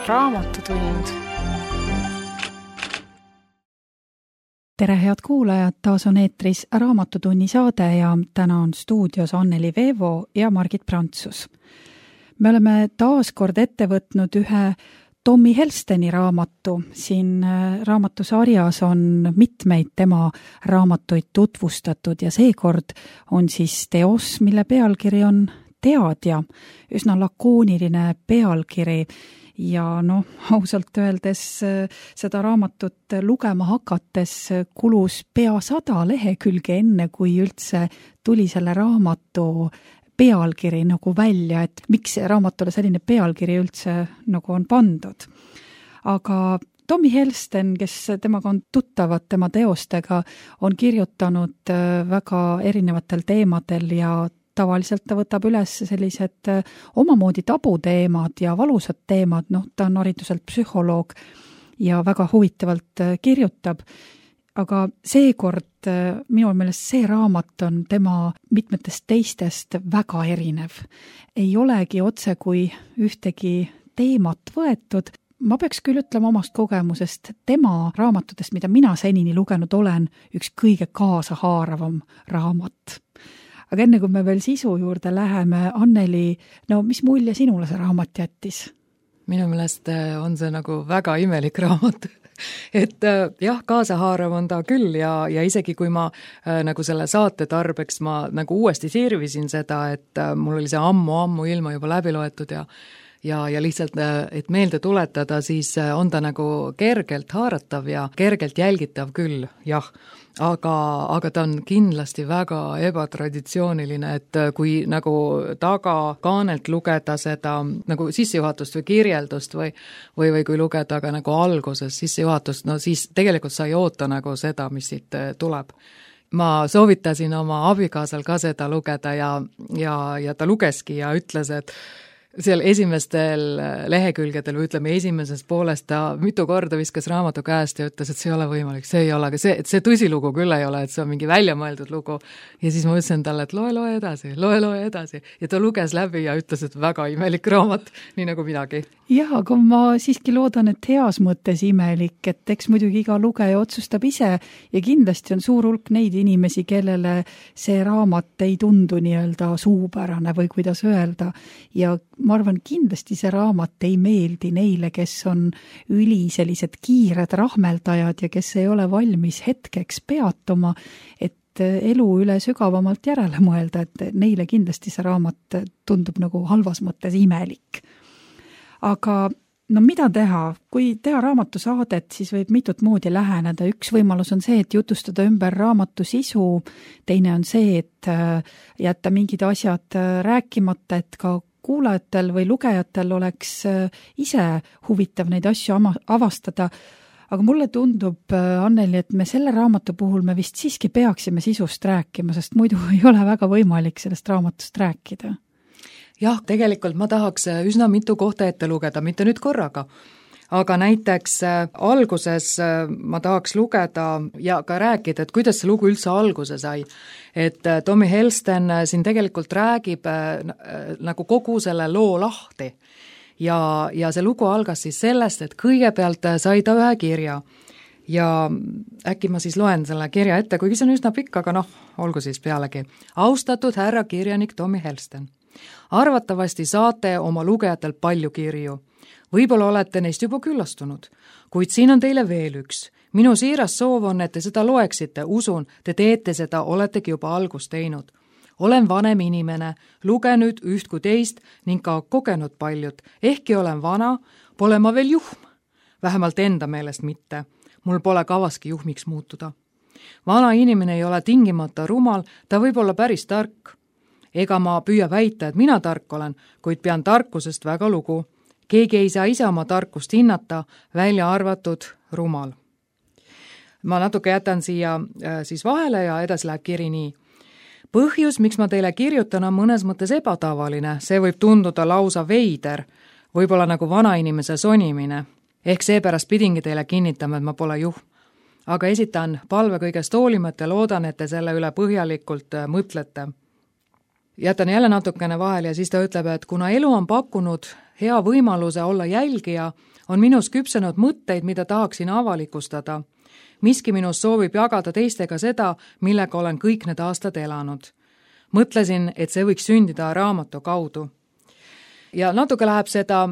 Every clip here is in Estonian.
Raamatutund. Tere, head kuulajad, taas on eetris Raamatutunni saade ja täna on stuudios Anneli Veevo ja Margit Prantsus. Me oleme taas kord ette võtnud ühe Tommy Helsteni raamatu. Siin raamatusarjas on mitmeid tema raamatuid tutvustatud ja seekord on siis teos, mille pealkiri on Teadja, üsna lakooniline pealkiri ja ausalt öeldes seda raamatut lugema hakates kulus pea 100 lehekülge enne, kui üldse tuli selle raamatu pealkiri nagu välja, et miks raamatule selline pealkiri üldse nagu on pandud. Aga Tommy Helsten, kes temaga on tuttavad tema teostega, on kirjutanud väga erinevatel teemadel ja tavaliselt ta võtab üles sellised omamoodi tabuteemad ja valusad teemad, ta on hariduselt psühholoog ja väga huvitavalt kirjutab. Aga seekord minu meelest see raamat on tema mitmetest teistest väga erinev. Ei olegi otse kui ühtegi teemat võetud. Ma peaks küll ütlema omast kogemusest, tema raamatutest, mida mina senini lugenud olen, üks kõige kaasahaaravam raamat. Aga enne kui me veel sisu juurde läheme, Anneli, mis mulje sinule see raamat jättis? Minu meelest on see nagu väga imelik raamat. Et jah, kaasahaarav on ta küll ja isegi kui ma nagu selle saate tarbeks ma nagu uuesti sirvisin seda, et mul oli see ammu ilma juba läbi loetud ja lihtsalt, et meelde tuletada, siis on ta nagu kergelt haaratav ja kergelt jälgitav küll, jah. Aga ta on kindlasti väga ebatraditsiooniline, et kui nagu tagakaanelt lugeda seda nagu sissejuhatust või kirjeldust või kui lugeda ka nagu alguses sissejuhatust, siis tegelikult sa ei oota nagu seda, mis siit tuleb. Ma soovitasin oma abikaasal ka seda lugeda ja ta lugeski ja ütles, et seal esimestel lehekülgedel või ütleme esimeses poolest ta mitu korda viskas raamatu käest ja ütles, et see ei ole võimalik, see ei ole, et see tõsilugu küll ei ole, et see on mingi väljamõeldud lugu. Ja siis ma ütlesin talle, et loe edasi. Ja ta luges läbi ja ütles, et väga imelik raamat, nii nagu midagi. Jah, aga ma siiski loodan, et heas mõttes imelik, et eks muidugi iga lugeja otsustab ise ja kindlasti on suur hulk neid inimesi, kellele see raamat ei tundu nii-öelda suupärane või kuidas öelda. Ja ma arvan, kindlasti see raamat ei meeldi neile, kes on sellised kiired rahmeldajad ja kes ei ole valmis hetkeks peatuma, et elu üle sügavamalt järele mõelda, et neile kindlasti see raamat tundub nagu halvas mõttes imelik. Aga mida teha? Kui teha raamatusaadet, siis võib mitut moodi läheneda. Üks võimalus on see, et jutustada ümber raamatu sisu. Teine on see, et jätta mingid asjad rääkimata, et ka kuulajatel või lugejatel oleks ise huvitav neid asju avastada. Aga mulle tundub, Anneli, et me selle raamatu puhul me vist siiski peaksime sisust rääkima, sest muidu ei ole väga võimalik sellest raamatust rääkida. Jah, tegelikult ma tahaks üsna mitu kohta ette lugeda, mitte nüüd korraga. Aga näiteks alguses ma tahaks lugeda ja ka rääkida, et kuidas see lugu üldse alguse sai. Et Tommy Helsten siin tegelikult räägib nagu kogu selle loo lahti. Ja see lugu algas siis sellest, et kõigepealt sai ta ühe kirja. Ja äkki ma siis loen selle kirja ette, kuigi see on üsna pikk, aga olgu siis pealegi. Austatud härra kirjanik Tommy Helsten. Arvatavasti saate oma lugejatel palju kirju. Võib-olla olete neist juba küllastunud, kuid siin on teile veel üks. Minu siiras soov on, et te seda loeksite, usun, te teete seda, oletegi juba algust teinud. Olen vanem inimene, lugenud üht kui teist ning ka kogenud paljud. Ehkki olen vana, pole ma veel juhm. Vähemalt enda meelest mitte. Mul pole kavaski juhmiks muutuda. Vana inimene ei ole tingimata rumal, ta võib olla päris tark. Ega ma püüa väita, et mina tark olen, kuid pean tarkusest väga lugu. Keegi ei saa ise oma tarkust hinnata, välja arvatud rumal. Ma natuke jätan siia siis vahele ja edasi läheb kiri nii. Põhjus, miks ma teile kirjutan, on mõnes mõttes ebatavaline. See võib tunduda lausa veider, võib-olla nagu vanainimese sonimine. Ehk seepärast pidingi teile kinnitama, et ma pole juhm. Aga esitan palve kõigest hoolimata ja loodan, et te selle üle põhjalikult mõtlete. Jätan jälle natukene vahel ja siis ta ütleb, et kuna elu on pakkunud hea võimaluse olla jälgija, on minus küpsenud mõtteid, mida tahaksin avalikustada. Miski minus soovib jagada teistega seda, millega olen kõik need aastad elanud. Mõtlesin, et see võiks sündida raamatu kaudu. Ja natuke läheb seda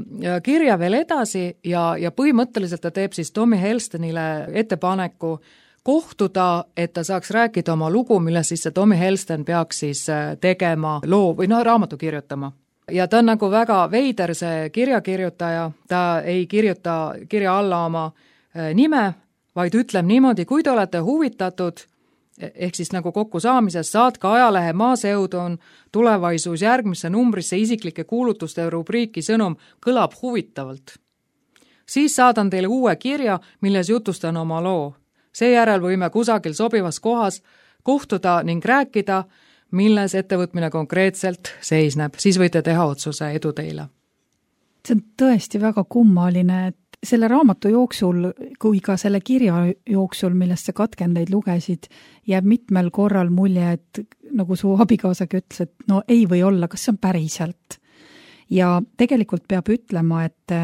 kirja veel edasi ja põhimõtteliselt ta teeb siis Tommy Helstonile ettepaneku kohtuda, et ta saaks rääkida oma lugu, mille siis see Tommy Helston peaks siis tegema loo või raamatu kirjutama. Ja ta on nagu väga veider see kirjakirjutaja, ta ei kirjuta kirja alla oma nime, vaid ütleb niimoodi, kui te olete huvitatud, ehk siis nagu kokkusaamises, saatke ajalehe Maaseudon tulevaisus järgmisse numbrisse isiklike kuulutuste rubriiki sõnum kõlab huvitavalt. Siis saadan teile uue kirja, milles jutustan oma loo. Seejärel võime kusagil sobivas kohas kohtuda ning rääkida, milles ettevõtmine konkreetselt seisneb. Siis võite teha otsuse, edu teile. See on tõesti väga kummaline, et selle raamatu jooksul, kui ka selle kirja jooksul, millest sa katkendeid lugesid, jääb mitmel korral mulje, et nagu su abikaasagi ütles, et no ei või olla, kas see on päriselt. Ja tegelikult peab ütlema, et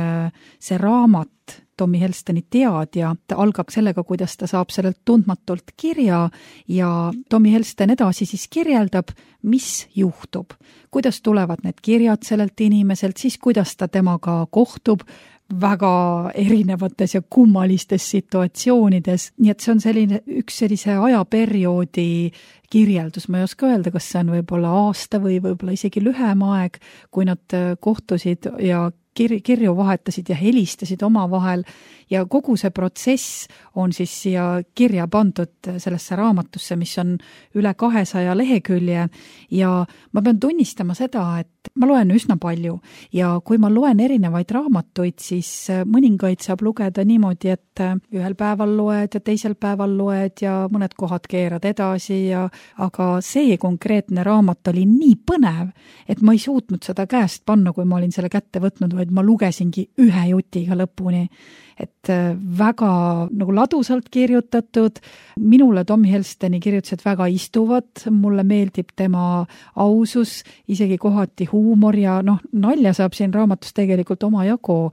see raamat, Tommy Helstoni teadja, ta algab sellega, kuidas ta saab sellelt tundmatult kirja ja Tommy Helston edasi siis kirjeldab, mis juhtub. Kuidas tulevad need kirjad sellelt inimeselt, siis kuidas ta temaga kohtub väga erinevates ja kummalistes situatsioonides. Nii et see on üks sellise ajaperioodi kirjeldus. Ma ei oska öelda, kas see on võib-olla aasta või võib-olla isegi lühem aeg, kui nad kohtusid ja kirju vahetasid ja helistasid omavahel ja kogu see protsess on siis siia kirja pandud sellesse raamatusse, mis on üle 200 lehekülje ja ma pean tunnistama seda, et ma loen üsna palju ja kui ma loen erinevaid raamatuid, siis mõningaid saab lugeda niimoodi, et ühel päeval loed ja teisel päeval loed ja mõned kohad keerad edasi aga see konkreetne raamat oli nii põnev, et ma ei suutnud seda käest panna, kui ma olin selle kätte võtnud, vaid ma lugesingi ühe jutiga lõpuni. Et väga nagu ladusalt kirjutatud, minule Tommy Helstoni kirjutused väga istuvad, mulle meeldib tema ausus, isegi kohati huumor ja nalja saab siin raamatus tegelikult omajagu,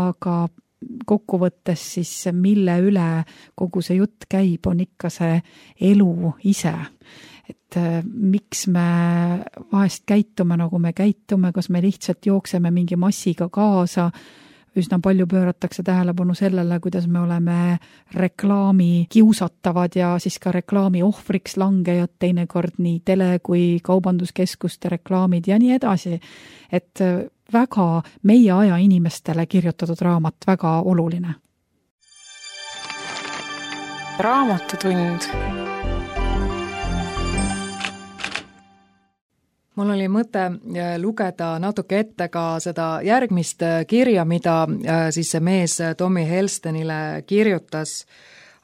aga kokkuvõttes siis mille üle kogu see jutt käib, on ikka see elu ise. Et miks me vahest käitume, nagu me käitume, kas me lihtsalt jookseme mingi massiga kaasa, üsna palju pööratakse tähelepanu sellele, kuidas me oleme reklaami kiusatavad ja siis ka reklaami ohvriks langejad, teinekord nii tele- kui kaubanduskeskuste reklaamid ja nii edasi. Et väga meie aja inimestele kirjutatud raamat, väga oluline. Raamatutund. Mul oli mõte lugeda natuke ette ka seda järgmist kirja, mida siis see mees Tommy Helstonile kirjutas,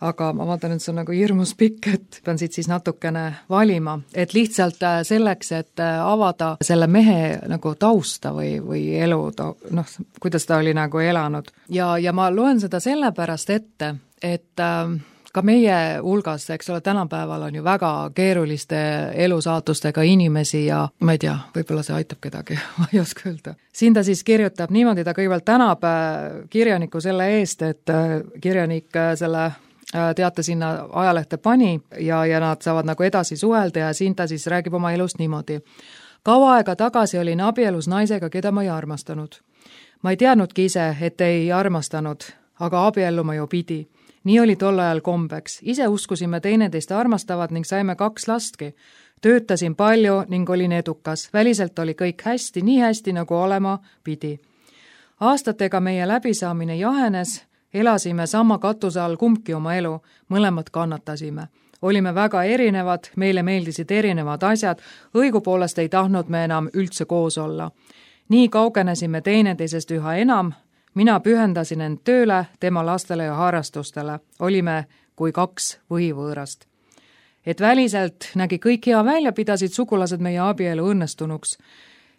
aga ma vaatan, et see on nagu hirmus pikk, et pean siit siis natukene valima, et lihtsalt selleks, et avada selle mehe nagu tausta või elu, kuidas ta oli nagu elanud. Ja ma loen seda sellepärast ette, et ka meie hulgas, eks ole, tänapäeval on ju väga keeruliste elusaatustega inimesi ja ma ei tea, võib-olla see aitab kedagi, ma ei oska öelda. Siin ta siis kirjutab niimoodi, ta kõigepealt tänab kirjaniku selle eest, et kirjanik selle teate sinna ajalehte pani ja nad saavad nagu edasi suhelda ja siin ta siis räägib oma elust niimoodi. Kaua aega tagasi olin abielus naisega, keda ma ei armastanud. Ma ei teadnudki ise, et ei armastanud, aga abielluma ju pidi. Nii oli tol ajal kombeks. Ise uskusime teineteist armastavad ning saime 2 lastki. Töötasin palju ning olin edukas. Väliselt oli kõik hästi, nii hästi nagu olema pidi. Aastatega meie läbisaamine jahenes, elasime sama katuse all kumbki oma elu, mõlemad kannatasime. Olime väga erinevad, meile meeldisid erinevad asjad, õigupoolest ei tahtnud me enam üldse koos olla. Nii kaugenesime teineteisest üha enam, mina pühendasin end tööle, tema lastele ja harrastustele. Olime kui 2 võivõõrast. Et väliselt nägi kõik hea välja, pidasid sugulased meie abielu õnnestunuks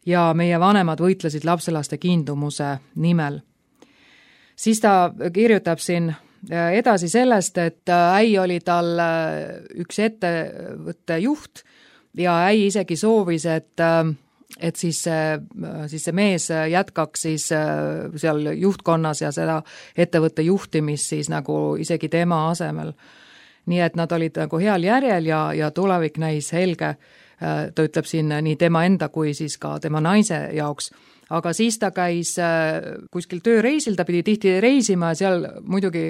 ja meie vanemad võitlesid lapselaste kiindumuse nimel. Siis ta kirjutab siin edasi sellest, et äi oli tal üks ettevõtte juht ja äi isegi soovis, et siis see mees jätkaks siis seal juhtkonnas ja seda ettevõtte juhtimist siis nagu isegi tema asemel. Nii et nad olid nagu heal järjel ja tulevik näis helge, ta ütleb siin nii tema enda kui siis ka tema naise jaoks. Aga siis ta käis kuskil tööreisil, ta pidi tihti reisima ja seal muidugi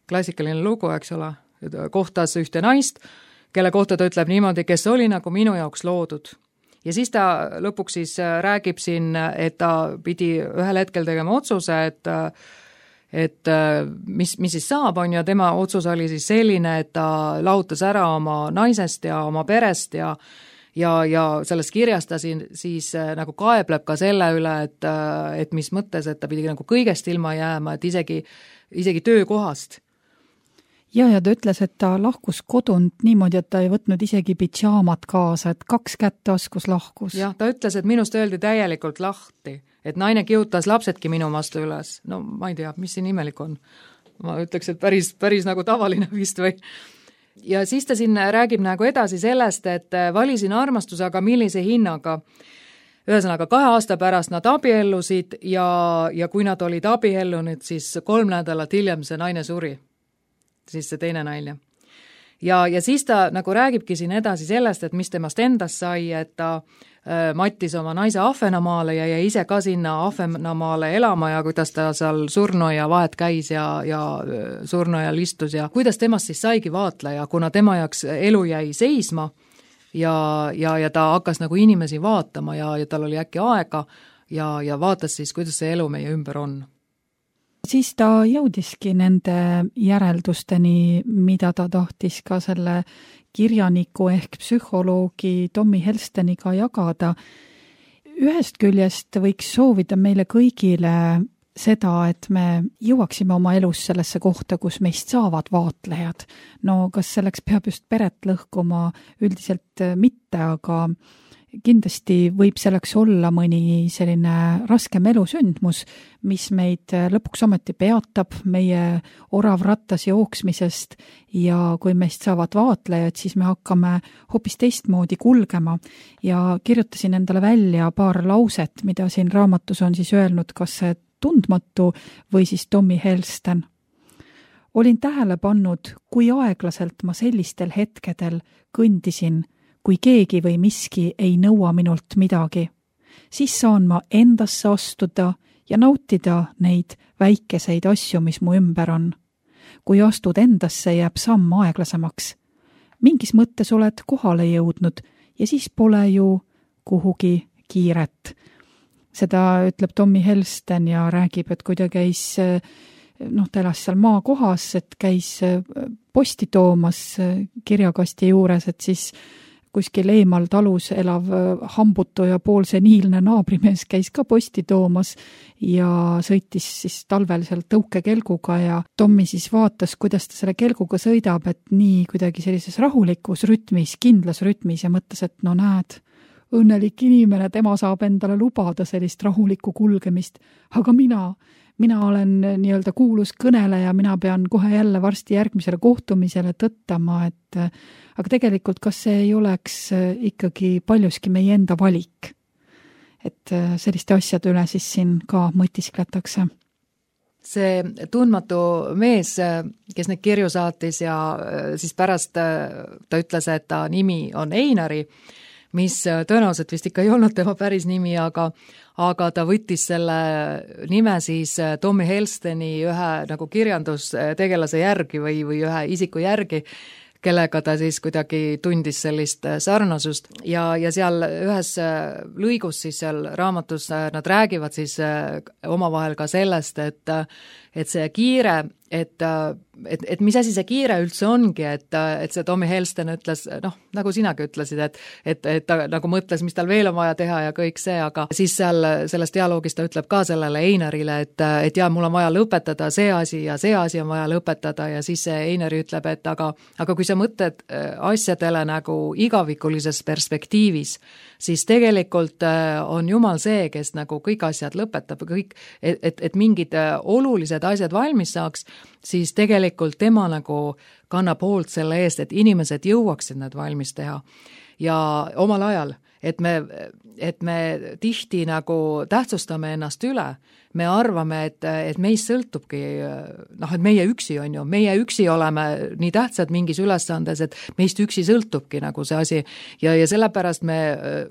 klassikaline lugu, eks ole, kohtas ühte naist, kelle kohta ta ütleb niimoodi, kes oli nagu minu jaoks loodud. Ja siis ta lõpuks siis räägib siin, et ta pidi ühel hetkel tegema otsuse, et mis siis saab on ja tema otsus oli siis selline, et ta lahutas ära oma naisest ja oma perest ja sellest kirjast ta siis nagu kaebleb ka selle üle, et mis mõttes, et ta pidi nagu kõigest ilma jääma, et isegi töökohast. Ja ta ütles, et ta lahkus kodunt niimoodi, et ta ei võtnud isegi pidžaamat kaasa, et 2 kätt taskus lahkus. Jah, ta ütles, et minust öeldi täielikult lahti, et naine kihutas lapsedki minu vastu üles. No ma ei tea, mis siin imelik on. Ma ütleks, et päris nagu tavaline vist või. Ja siis ta siin räägib nagu edasi sellest, et valisin armastuse, aga millise hinnaga. Ühesõnaga 2 aasta pärast nad abiellusid ja kui nad olid abiellunud, siis 3 nädalat hiljem see naine suri, siis see teine naine. Ja siis ta nagu räägibki siin edasi sellest, et mis temast endast sai, et ta mattis oma naise Ahvenamaale ja jäi ise ka sinna Ahvenamaale elama ja kuidas ta seal surnuaia vahet käis ja surnuaial istus ja kuidas temast siis saigi vaatleja, kuna tema jaoks elu jäi seisma ja ta hakkas nagu inimesi vaatama ja tal oli äkki aega ja vaatas siis, kuidas see elu meie ümber on. Siis ta jõudiski nende järeldusteni, mida ta tahtis ka selle kirjaniku ehk psühholoogi Tommy Helsteniga jagada. Ühest küljest võiks soovida meile kõigile seda, et me jõuaksime oma elus sellesse kohta, kus meist saavad vaatlejad. No kas selleks peab just peret lõhkuma? Üldiselt mitte, aga kindlasti võib selleks olla mõni selline raskem elusündmus, mis meid lõpuks ometi peatab meie oravrattas jooksmisest ja kui meist saavad vaatlejad, siis me hakkame hoopis teistmoodi kulgema ja kirjutasin endale välja paar lauset, mida siin raamatus on siis öelnud, kas see tundmatu või siis Tommy Helsten. Olin tähele pannud, kui aeglaselt ma sellistel hetkedel kõndisin, kui keegi või miski ei nõua minult midagi, siis saan ma endasse astuda ja nautida neid väikeseid asju, mis mu ümber on. Kui astud endasse, jääb samm aeglasemaks. Mingis mõttes oled kohale jõudnud ja siis pole ju kuhugi kiiret. Seda ütleb Tommy Helsten ja räägib, et kui ta käis, ta elas seal maakohas, et käis posti toomas kirjakasti juures, et siis kuskil eemal talus elav hambutu ja poolseniilne naabrimees käis ka posti toomas ja sõitis siis talvel seal tõukekelguga ja Tommy siis vaatas, kuidas ta selle kelguga sõidab, et nii kuidagi sellises rahulikus rütmis, kindlas rütmis ja mõtles, et no näed, õnnelik inimene, tema saab endale lubada sellist rahulikku kulgemist, aga mina olen nii-öelda kuulus kõneleja, mina pean kohe jälle varsti järgmisele kohtumisele tõttama, et aga tegelikult kas see ei oleks ikkagi paljuski meie enda valik, et selliste asjade üle siis siin ka mõtiskletakse. See tundmatu mees, kes neid kirju saatis ja siis pärast ta ütles, et ta nimi on Einari, mis tõenäoliselt vist ikka ei olnud tema päris nimi, aga ta võttis selle nime siis Tommy Helsteni ühe nagu kirjandustegelase järgi või ühe isiku järgi, kellega ta siis kuidagi tundis sellist sarnasust ja seal ühes lõigus siis seal raamatus nad räägivad siis omavahel ka sellest, et see kiire, et mis asi see kiire üldse ongi, et see Tommy Helsten ütles, nagu sinagi ütlesid, et ta nagu mõtles, mis tal veel on vaja teha ja kõik see, aga siis selles dialoogis ta ütleb ka sellele Einarile, et jaa, mul on vaja lõpetada see asi ja see asi on vaja lõpetada ja siis see Einari ütleb, et aga kui sa mõtled asjadele nagu igavikulises perspektiivis, siis tegelikult on Jumal see, kes nagu kõik asjad lõpetab, kõik, et mingid olulised asjad valmis saaks, siis tegelikult tema nagu kannab hoolt selle eest, et inimesed jõuaksid need valmis teha ja omal ajal, et me tihti nagu tähtsustame ennast üle, me arvame, et meist sõltubki, et meie üksi on ju, meie üksi oleme nii tähtsad mingis ülesandes, et meist üksi sõltubki nagu see asi ja sellepärast me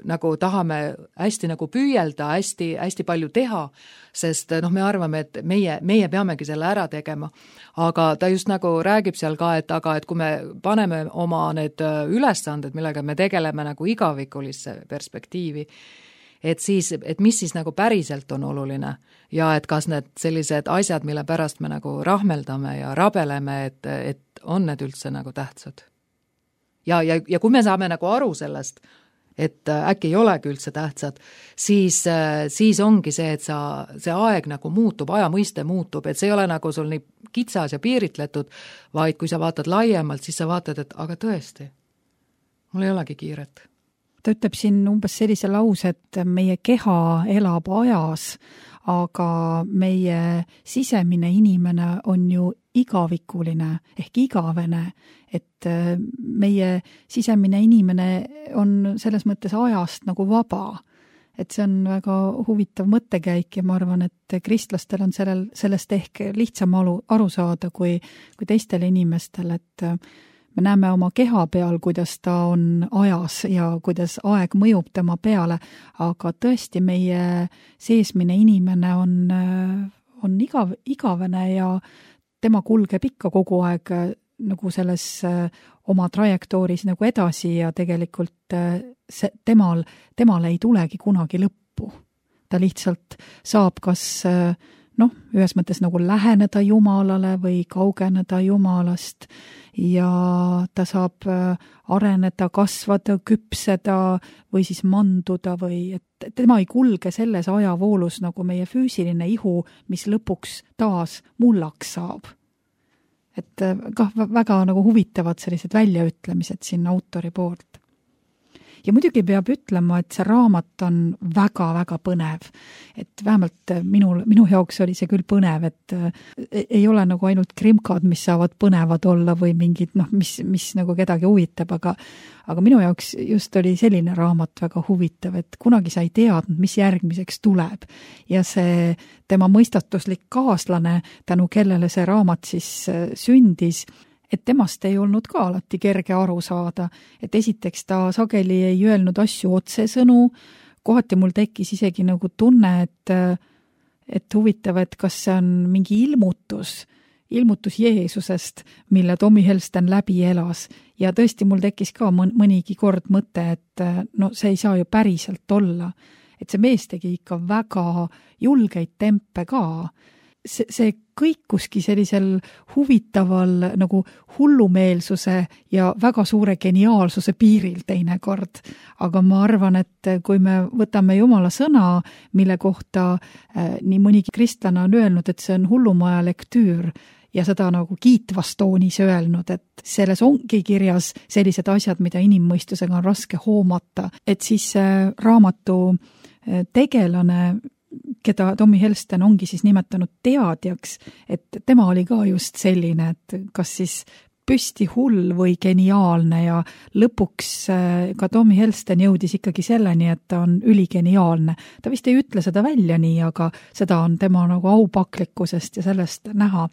nagu tahame hästi nagu püüelda, hästi palju teha, sest me arvame, et meie peamegi selle ära tegema. Aga ta just nagu räägib seal ka, et kui me paneme oma need ülesanded, millega me tegeleme nagu igavikulisse perspektiivi, et mis siis nagu päriselt on oluline ja et kas need sellised asjad, mille pärast me nagu rahmeldame ja rabeleme, et on need üldse nagu tähtsad. Ja kui me saame nagu aru sellest, et äkki ei olegi üldse tähtsad, siis ongi see, et see aeg nagu muutub, aja mõiste muutub, et see ei ole nagu sul nii kitsas ja piiritletud, vaid kui sa vaatad laiemalt, siis sa vaatad, et aga tõesti, mul ei olegi kiiret. Ta ütleb siin umbes sellise lause, et meie keha elab ajas, aga meie sisemine inimene on ju igavikuline ehk igavene, et meie sisemine inimene on selles mõttes ajast nagu vaba. Et see on väga huvitav mõttekäik ja ma arvan, et kristlastel on sellest ehk lihtsam aru saada kui teistel inimestel, et me näeme oma keha peal, kuidas ta on ajas ja kuidas aeg mõjub tema peale, aga tõesti meie seesmine inimene on igavene ja tema kulgeb ikka kogu aeg nagu selles oma trajektooris nagu edasi ja tegelikult temal ei tulegi kunagi lõppu. Ta lihtsalt saab kas ühes mõttes nagu läheneda Jumalale või kaugeneda Jumalast ja ta saab areneda, kasvada, küpseda või siis manduda või et tema ei kulge selles ajavoolus nagu meie füüsiline ihu, mis lõpuks taas mullaks saab. Et väga nagu huvitavad sellised väljaütlemised siin autori poolt. Ja muidugi peab ütlema, et see raamat on väga-väga põnev. Et vähemalt minu jaoks oli see küll põnev, et ei ole nagu ainult krimkad, mis saavad põnevad olla või mingid, mis nagu kedagi huvitab, aga minu jaoks just oli selline raamat väga huvitav, et kunagi sa ei teadnud, mis järgmiseks tuleb. Ja see tema mõistatuslik kaaslane, tänu kellele see raamat siis sündis, et temast ei olnud ka alati kerge aru saada, et esiteks ta sageli ei öelnud asju otsesõnu, kohati mul tekkis isegi nagu tunne, et huvitav, et kas see on mingi ilmutus Jeesusest, mille Tommy Helsten läbi elas ja tõesti mul tekkis ka mõnigi kord mõte, et see ei saa ju päriselt olla, et see mees tegi ikka väga julgeid tempe ka. See kõikuski sellisel huvitaval nagu hullumeelsuse ja väga suure geniaalsuse piiril teinekord. Aga ma arvan, et kui me võtame Jumala sõna, mille kohta nii mõnigi kristlane on öelnud, et see on hullumaja lektüür ja seda nagu kiitvas toonis öelnud, et selles ongi kirjas sellised asjad, mida inimmõistusega on raske hoomata, et siis raamatu tegelane, keda Tommy Helsten ongi siis nimetanud teadjaks, et tema oli ka just selline, et kas siis püsti hull või geniaalne ja lõpuks ka Tommy Helsten jõudis ikkagi selleni, et ta on üligeniaalne. Ta vist ei ütle seda välja nii, aga seda on tema nagu aupaklikkusest ja sellest näha.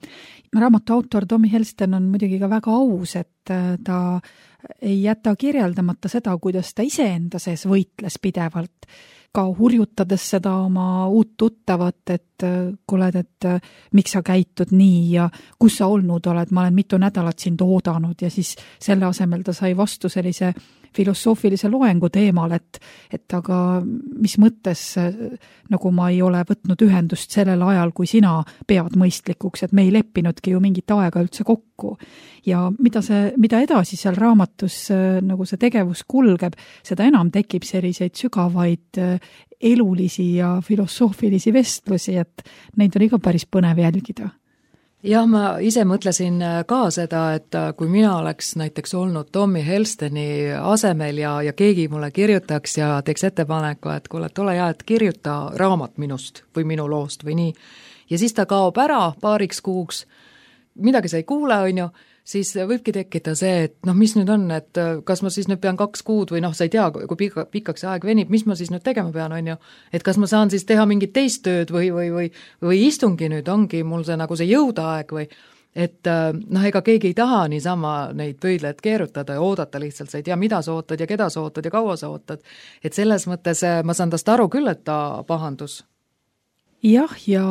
Raamatu autor Tommy Helsten on muidugi ka väga aus, et ta ei jäta kirjeldamata seda, kuidas ta iseenda sees võitles pidevalt, ka hurjutades seda oma uut tuttavat, et kuuled, et miks sa käitud nii ja kus sa olnud oled, ma olen mitu nädalat sind oodanud ja siis selle asemel ta sai vastu sellise filosoofilise loengu teemal, et aga mis mõttes nagu ma ei ole võtnud ühendust sellel ajal, kui sina pead mõistlikuks, et me ei leppinudki ju mingit aega üldse kokku. Ja mida edasi seal raamatus nagu see tegevus kulgeb, seda enam tekib selliseid sügavaid elulisi ja filosoofilisi vestlusi, et neid on ikka päris põnev jälgida. Jah, ma ise mõtlesin ka seda, et kui mina oleks näiteks olnud Tommy Helsteni asemel ja keegi mulle kirjutaks ja teeks ettepaneku, et kuule, ole hea, et kirjuta raamat minust või minu loost või nii. Ja siis ta kaob ära paariks kuuks midagi sa ei kuule, on ju, siis võibki tekkida see, et noh, mis nüüd on, et kas ma siis nüüd pean 2 kuud või noh, sa ei tea, kui pikaks see aeg venib, mis ma siis nüüd tegema pean, on ju, et kas ma saan siis teha mingit teist tööd või istungi nüüd ongi mul see nagu see jõudaeg või et noh, ega keegi ei taha niisama neid pöidlaid keerutada ja oodata lihtsalt, sa ei tea, mida sa ootad ja keda sa ootad ja kaua sa ootad. Et selles mõttes ma saan tast aru küll, et ta pahandus. Jah, ja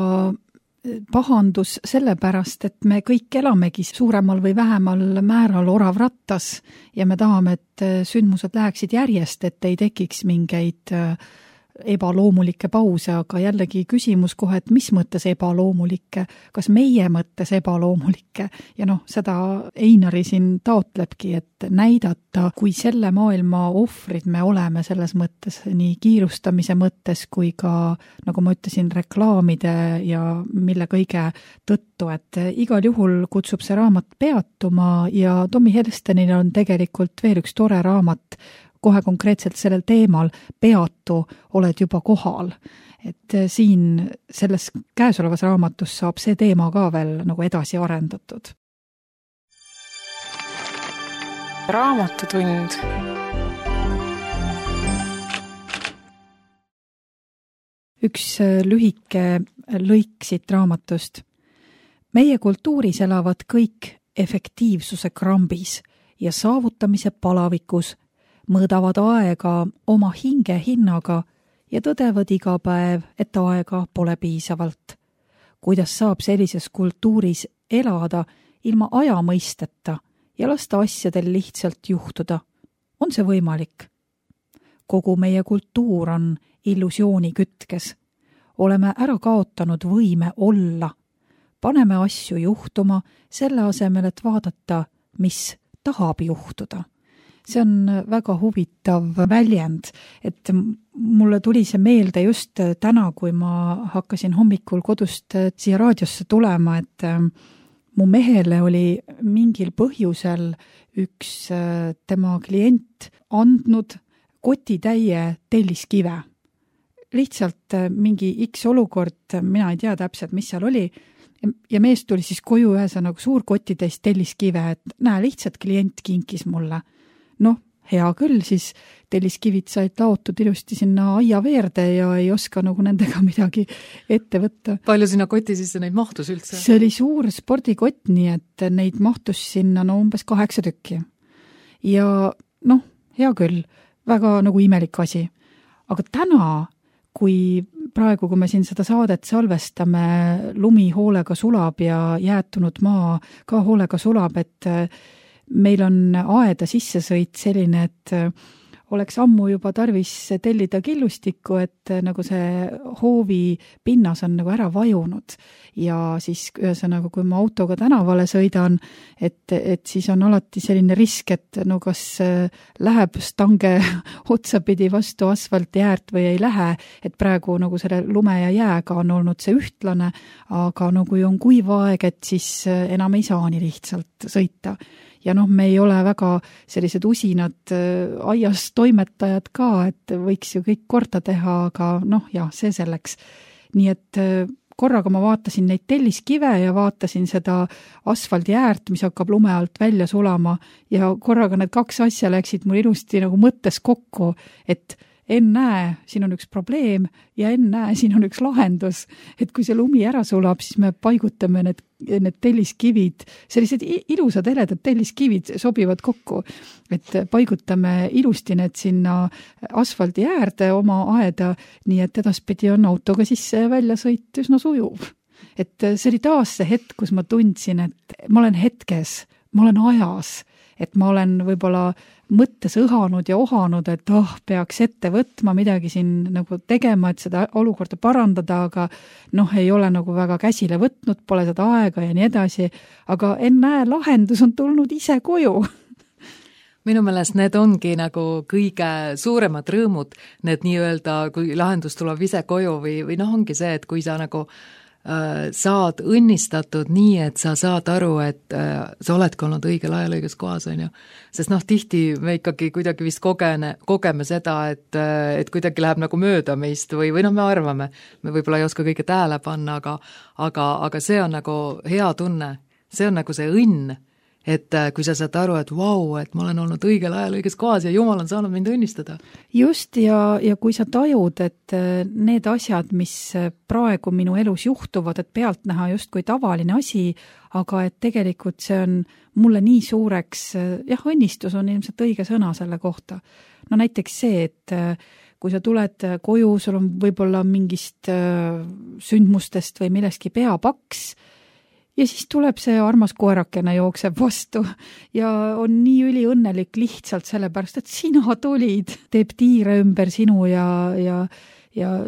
pahandus sellepärast, et me kõik elamegi suuremal või vähemal määral oravrattas ja me tahame, et sündmused läheksid järjest, et ei tekiks mingeid ebaloomulikke pause, aga jällegi küsimus kohe, et mis mõttes ebaloomulikke, kas meie mõttes ebaloomulikke ja noh, seda Einari siin taotlebki, et näidata, kui selle maailma ohvrid me oleme selles mõttes, nii kiirustamise mõttes kui ka, nagu ma ütlesin, reklaamide ja mille kõige tõttu, et igal juhul kutsub see raamat peatuma ja Tommy Helstenil on tegelikult veel üks tore raamat, kohe konkreetselt sellel teemal, peatu, oled juba kohal. Et siin selles käesolevas raamatus saab see teema ka veel nagu edasi arendatud. Raamatutund. Üks lühike lõik siit raamatust. Meie kultuuris elavad kõik efektiivsuse krambis ja saavutamise palavikus, mõõdavad aega oma hinge hinnaga ja tõdevad iga päev, et aega pole piisavalt. Kuidas saab sellises kultuuris elada ilma aja mõisteta ja lasta asjadel lihtsalt juhtuda? On see võimalik? Kogu meie kultuur on illusiooni kütkes. Oleme ära kaotanud võime olla. Paneme asju juhtuma selle asemel, et vaadata, mis tahab juhtuda. See on väga huvitav väljend, et mulle tuli see meelde just täna, kui ma hakkasin hommikul kodust siia raadiosse tulema, et mu mehele oli mingil põhjusel üks tema klient andnud kotitäie telliskive. Lihtsalt mingi X olukord, mina ei tea täpselt, mis seal oli, ja mees tuli siis koju ühesõnaga suur kotitäis telliskive, et näe, lihtsalt klient kinkis mulle. Noh, hea küll, siis telliskivid said laotud ilusti sinna aia veerde ja ei oska nagu nendega midagi ette võtta. Palju sinna koti sisse neid mahtus üldse? See oli suur spordikott, nii et neid mahtus sinna umbes 8 tükki. Ja noh, hea küll, väga nagu imelik asi. Aga täna, kui me siin seda saadet salvestame, lumi hoolega sulab ja jäätunud maa ka hoolega sulab, et meil on aeda sissesõit selline, et oleks ammu juba tarvis tellida killustikku, et nagu see hoovi pinnas on nagu ära vajunud. Ja siis ühesõnaga, kui ma autoga tänavale sõidan, et siis on alati selline risk, et no kas läheb stange otsapidi vastu asfalti äärt või ei lähe, et praegu nagu selle lume ja jääga on olnud see ühtlane, aga no kui on kuiv aeg, et siis enam ei saa nii lihtsalt sõita. Ja noh, me ei ole väga sellised usinad aias toimetajad ka, et võiks ju kõik korda teha, aga noh, jah, see selleks. Nii et korraga ma vaatasin neid telliskive ja vaatasin seda asfaldi äärt, mis hakkab lume alt välja sulama ja korraga need 2 asja läksid mul ilusti nagu mõttes kokku, et ennäe, siin on üks probleem ja ennäe, siin on üks lahendus. Et kui see lumi ära sulab, siis me paigutame need telliskivid, sellised ilusad heledad telliskivid sobivad kokku, et paigutame ilusti need sinna asfaldi äärde oma aeda, nii et edaspidi on autoga sisse ja välja sõit üsna sujuv. Et see oli taas see hetk, kus ma tundsin, et ma olen hetkes, ma olen ajas, et ma olen võib-olla mõttes õhanud ja ohanud, et peaks ette võtma midagi siin nagu tegema, et seda olukorda parandada, aga noh, ei ole nagu väga käsile võtnud, pole seda aega ja nii edasi, aga ennäe, lahendus on tulnud ise koju. Minu meelest need ongi nagu kõige suuremad rõõmud, need nii-öelda, kui lahendus tuleb ise koju või noh, ongi see, et kui sa nagu saad õnnistatud nii, et sa saad aru, et sa oledki olnud õigel ajal õiges kohas, on ju. Sest noh, tihti me ikkagi kuidagi vist kogeme seda, et kuidagi läheb nagu mööda meist või noh, me arvame, me võib-olla ei oska kõike tähele panna, aga see on nagu hea tunne, see on nagu see õnn, et kui sa saad aru, et vau, et ma olen olnud õigel ajal õiges kohas ja Jumal on saanud mind õnnistada. Just, ja kui sa tajud, et need asjad, mis praegu minu elus juhtuvad, et pealt näha just kui tavaline asi, aga et tegelikult see on mulle nii suureks, õnnistus on ilmselt õige sõna selle kohta. No näiteks see, et kui sa tuled koju, sul on võib-olla mingist sündmustest või millestki peapaks, ja siis tuleb see armas koerakene jookseb vastu ja on nii üliõnnelik lihtsalt sellepärast, et sina tulid, teeb tiire ümber sinu ja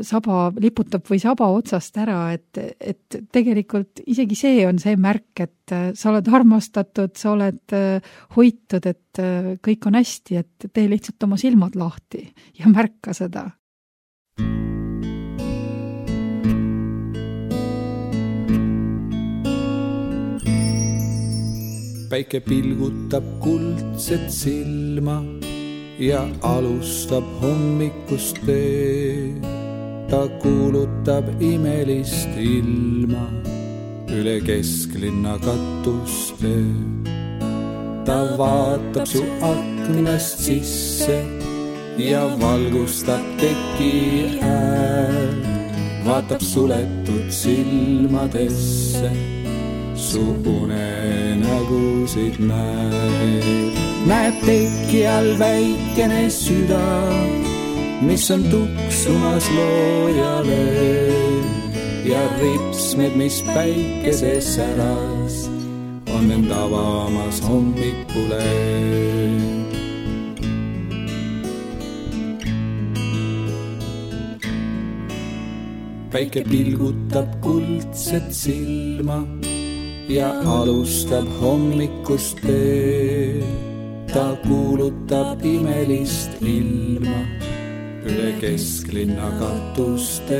saba liputab või saba otsast ära, et tegelikult isegi see on see märk, et sa oled armastatud, sa oled hoitud, et kõik on hästi, et tee lihtsalt oma silmad lahti ja märka seda. Päike pilgutab kuldset silma ja alustab hommikust teed. Ta kuulutab imelist ilma üle kesklinna katuste. Ta vaatab su aknast sisse ja valgustab teki ääl. Vaatab suletud silmadesse. Su unenägusid näeb teki all väikene süda, mis on tuksumas loojale ja ripsmed, mis päikeses säras, on end avamas hommikule. Päike pilgutab kuldset silma ja alustab hommikust teed. Ta kuulutab imelist ilma üle kesklinna katuste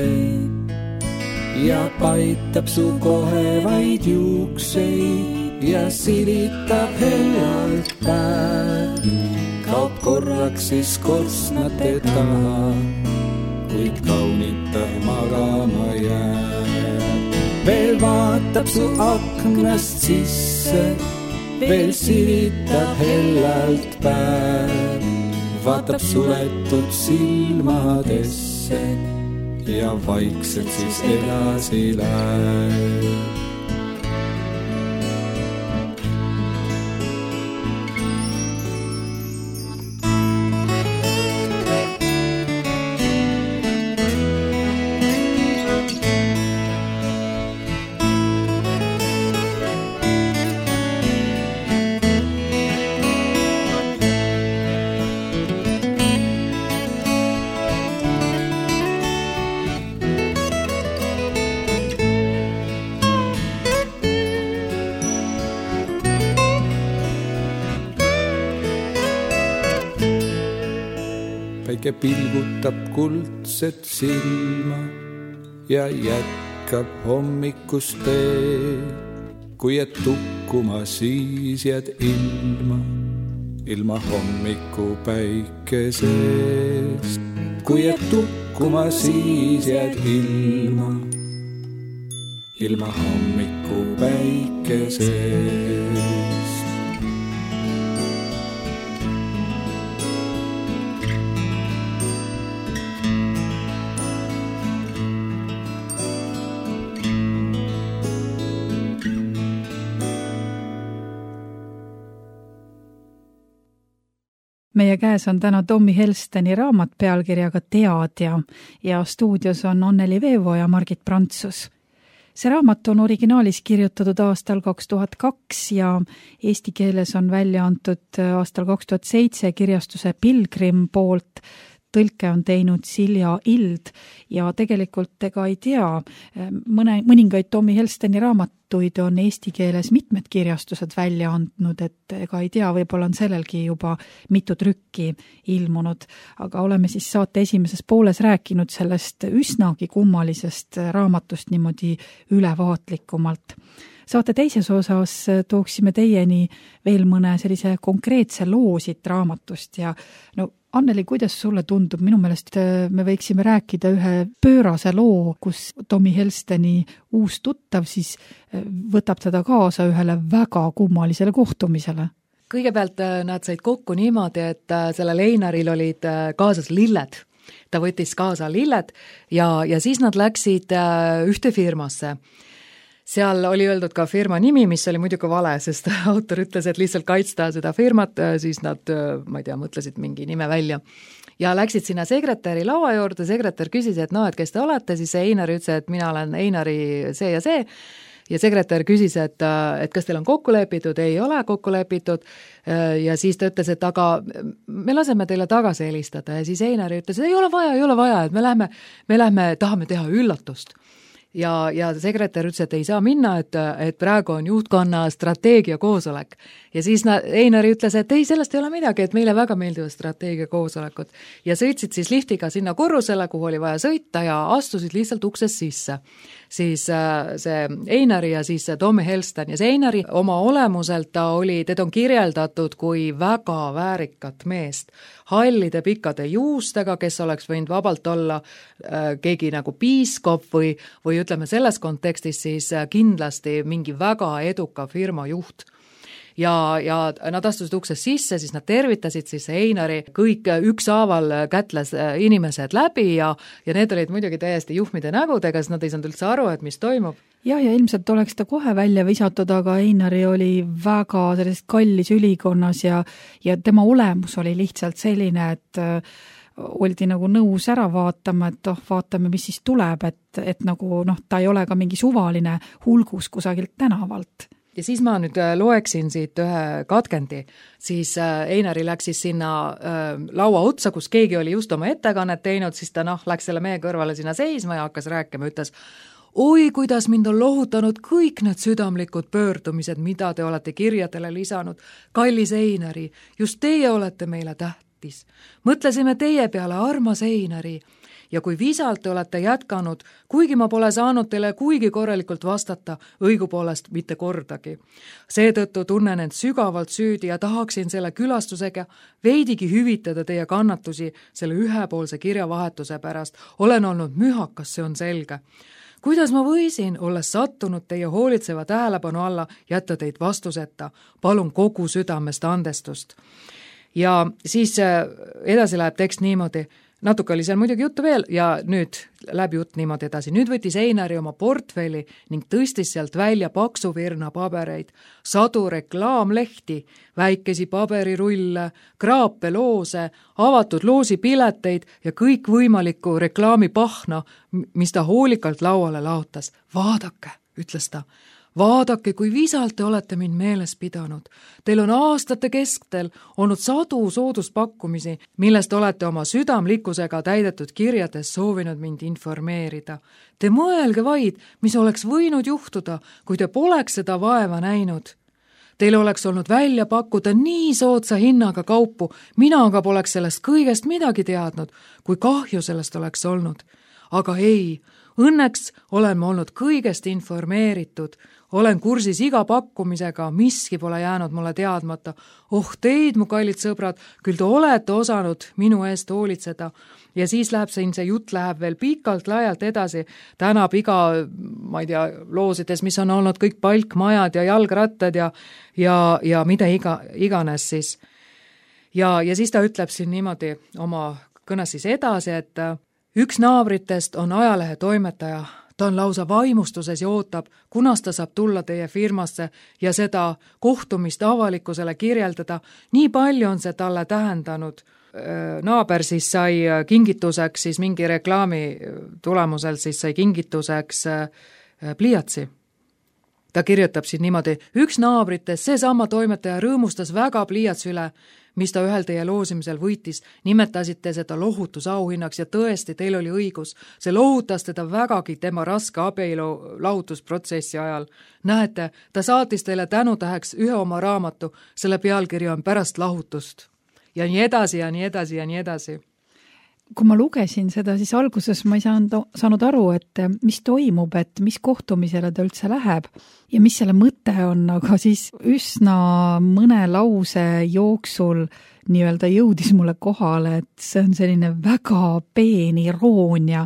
ja paitab su kohevaid juukseid ja silitab hellalt päev. Kaob korraks siis korstnate taha, kuid kaunita magama jääb. Veel vaatab su aknast sisse, veel silitab hellalt päev. Vaatab suletud silmadesse ja vaikselt siis edasi läheb. Päike pilgutab kuldset silma ja jätkab hommikust teed. Kui jääd tukkuma, siis jääd ilma hommiku päikesest. Kui jääd tukkuma, siis jääd ilma hommiku päikesest. Meie käes on täna Tommy Helsteni raamat pealkirjaga Teadja ja stuudios on Anneli Veevo ja Margit Prantsus. See raamat on originaalis kirjutatud aastal 2002 ja eesti keeles on välja antud aastal 2007 kirjastuse Pilgrim poolt. Tõlke on teinud Silja Ild ja tegelikult ega ei tea, mõningaid Tommy Helsteni raamatuid on eesti keeles mitmed kirjastused välja andnud, et ega ei tea, võib-olla on sellelgi juba mitu trükki ilmunud, aga oleme siis saate esimeses pooles rääkinud sellest üsnagi kummalisest raamatust niimoodi ülevaatlikumalt. Saate teises osas tooksime teieni veel mõne sellise konkreetse loo siit raamatust ja no Anneli, kuidas sulle tundub? Minu meelest me võiksime rääkida ühe pöörase loo, kus Tommy Helsteni uus tuttav siis võtab teda kaasa ühele väga kummalisele kohtumisele. Kõigepealt nad said kokku niimoodi, et sellel Einaril olid kaasas lilled. Ta võttis kaasa lilled ja siis nad läksid ühte firmasse. Seal oli öeldud ka firma nimi, mis oli muidugi vale, sest autor ütles, et lihtsalt kaitsta seda firmat, siis nad, ma ei tea, mõtlesid mingi nime välja. Ja läksid sinna sekretäri laua juurde, sekretär küsis, et et kes te olete, siis Einari ütles, et mina olen Einari see ja see, ja sekretär küsis, et kas teil on kokku lepitud, ei ole kokku lepitud, ja siis ta ütles, et aga me laseme teile tagasi helistada, ja siis Einari ütles, et ei ole vaja, et me lähme, tahame teha üllatust. Ja sekretär ütles, et ei saa minna, et praegu on juhtkonna strateegia koosolek. Ja siis Einari ütles, et ei, sellest ei ole midagi, et meile väga meeldivad strateegia koosolekud. Ja sõitsid siis liftiga sinna korrusele, kuhu oli vaja sõita ja astusid lihtsalt uksest sisse. Siis see Einari ja siis see Tommy Helsten. Ja see Einari oma olemuselt teda on kirjeldatud kui väga väärikat meest. Hallide pikkade juustega, kes oleks võinud vabalt olla keegi nagu piiskop või ütleme selles kontekstis siis kindlasti mingi väga eduka firma juht. Ja nad astusid uksest sisse, siis nad tervitasid siis Einari kõik ükshaaval kätles inimesed läbi ja need olid muidugi täiesti juhmide nägudega, sest nad ei saanud üldse aru, et mis toimub. Ja ilmselt oleks ta kohe välja visatud, aga Einari oli väga sellest kallis ülikonnas ja tema olemus oli lihtsalt selline, et oldi nagu nõus ära vaatama, et vaatame, mis siis tuleb, et nagu ta ei ole ka mingi suvaline hulgus kusagilt tänavalt. Ja siis ma nüüd loeksin siit ühe katkendi, siis Einari läks siis sinna laua otsa, kus keegi oli just oma ettekannet teinud, siis ta läks selle mehe kõrvale sinna seisma ja hakkas rääkima, ütles, oi, kuidas mind on lohutanud kõik need südamlikud pöördumised, mida te olete kirjadele lisanud. Kallis Einari, just teie olete meile tähtis. Mõtlesime teie peale, armas Einari. Ja kui visalt te olete jätkanud, kuigi ma pole saanud teile kuigi korralikult vastata, õigupoolest mitte kordagi. Seetõttu tunnen end sügavalt süüdi ja tahaksin selle külastusega veidigi hüvitada teie kannatusi selle ühepoolse kirjavahetuse pärast. Olen olnud mühakas, see on selge. Kuidas ma võisin, olles sattunud teie hoolitseva tähelepanu alla, jätta teid vastuseta? Palun kogu südamest andestust. Ja siis edasi läheb tekst niimoodi. Natuke oli seal muidugi juttu veel ja nüüd läheb jutt niimoodi edasi. Nüüd võttis Einari oma portfelli ning tõstis sealt välja paksu virna pabereid, sadu reklaamlehti, väikesi paberirulle, kraape loose, avatud loosipileteid ja kõik võimalikku reklaamipahna, mis ta hoolikalt lauale laotas. Vaadake, ütles ta. Vaadake, kui visalt te olete mind meeles pidanud. Teil on aastate keskel olnud sadu sooduspakkumisi, millest olete oma südamlikkusega täidetud kirjades soovinud mind informeerida. Te mõelge vaid, mis oleks võinud juhtuda, kui te poleks seda vaeva näinud. Teil oleks olnud välja pakkuda nii soodsa hinnaga kaupu, mina aga poleks sellest kõigest midagi teadnud, kui kahju sellest oleks olnud. Aga ei, õnneks olen ma olnud kõigest informeeritud. Olen kursis iga pakkumisega, miski pole jäänud mulle teadmata. Oh teid, mu kallid sõbrad, küll te olete osanud minu eest hoolitseda. Ja siis läheb see jutt läheb veel pikalt laialt edasi. Tänab iga, ma ei tea, loosides, mis on olnud kõik palkmajad ja jalgrattad ja mida iganes siis. Ja siis ta ütleb siin niimoodi oma kõnes siis edasi, et üks naabritest on ajalehe toimetaja. Ta on lausa vaimustuses ja ootab, kunas ta saab tulla teie firmasse ja seda kohtumist avalikkusele kirjeldada. Nii palju on see talle tähendanud. Naaber siis sai kingituseks, siis mingi reklaami tulemusel siis sai kingituseks pliiatsi. Ta kirjutab siin niimoodi, üks naabritest, seesama toimetaja rõõmustas väga pliiats üle, mis ta ühel teie loosimisel võitis, nimetasite seda lohutusauhinnaks ja tõesti, teil oli õigus. See lohutas teda vägagi tema raske abielu lahutusprotsessi ajal. Näete, ta saatis teile tänutäheks ühe oma raamatu, selle pealkiri on Pärast lahutust. Ja nii edasi ja nii edasi ja nii edasi. kui ma lugesin seda, siis alguses ma ei saanud aru, et mis toimub, et mis kohtumisele ta üldse läheb ja mis selle mõte on, aga siis üsna mõne lause jooksul nii-öelda jõudis mulle kohale, et see on selline väga peen iroonia,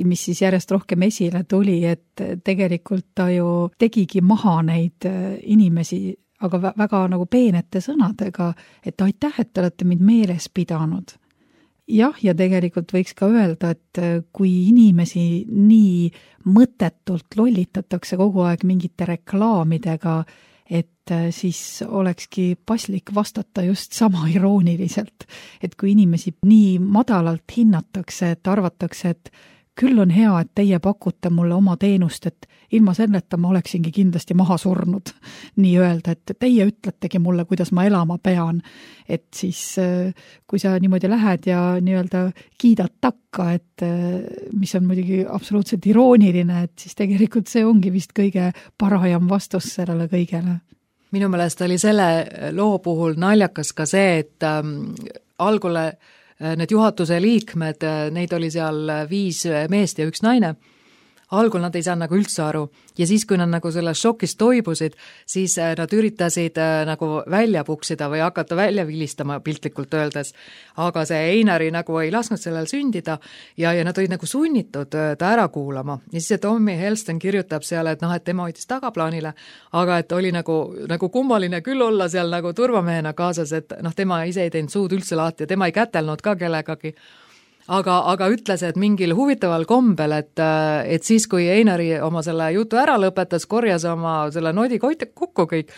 mis siis järjest rohkem esile tuli, et tegelikult ta ju tegigi maha neid inimesi, aga väga nagu peenete sõnadega, et aitäh, et te olete mind meeles pidanud. Jah, ja tegelikult võiks ka öelda, et kui inimesi nii mõttetult lollitatakse kogu aeg mingite reklaamidega, et siis olekski paslik vastata just sama irooniliselt, et kui inimesi nii madalalt hinnatakse, et arvatakse, et küll on hea, et teie pakute mulle oma teenust, et ilma selleta ma oleksingi kindlasti maha surnud, nii öelda, et teie ütletegi mulle, kuidas ma elama pean, et siis kui sa niimoodi lähed ja nii-öelda kiidad takka, et mis on muidugi absoluutselt irooniline, et siis tegelikult see ongi vist kõige parajam vastus sellele kõigele. Minu meelest oli selle loo puhul naljakas ka see, et algule need juhatuse liikmed, neid oli seal 5 meest ja 1 naine, algul nad ei saa nagu üldse aru ja siis, kui nad nagu sellest šokist toibusid, siis nad üritasid nagu välja puksida või hakata välja vilistama piltlikult öeldes, aga see Einari nagu ei lasknud sellel sündida ja nad olid nagu sunnitud ta ära kuulama ja siis see Tommy Helston kirjutab seal, et et tema hoidis tagaplaanile, aga et oli nagu kummaline küll olla seal nagu turvamehena kaasas, et tema ise ei teinud suud üldse lahti ja tema ei kätelnud ka kellegagi. Aga ütles, et mingil huvitaval kombel, et siis, kui Einari oma selle jutu ära lõpetas, korjas oma selle nodi kokku kõik,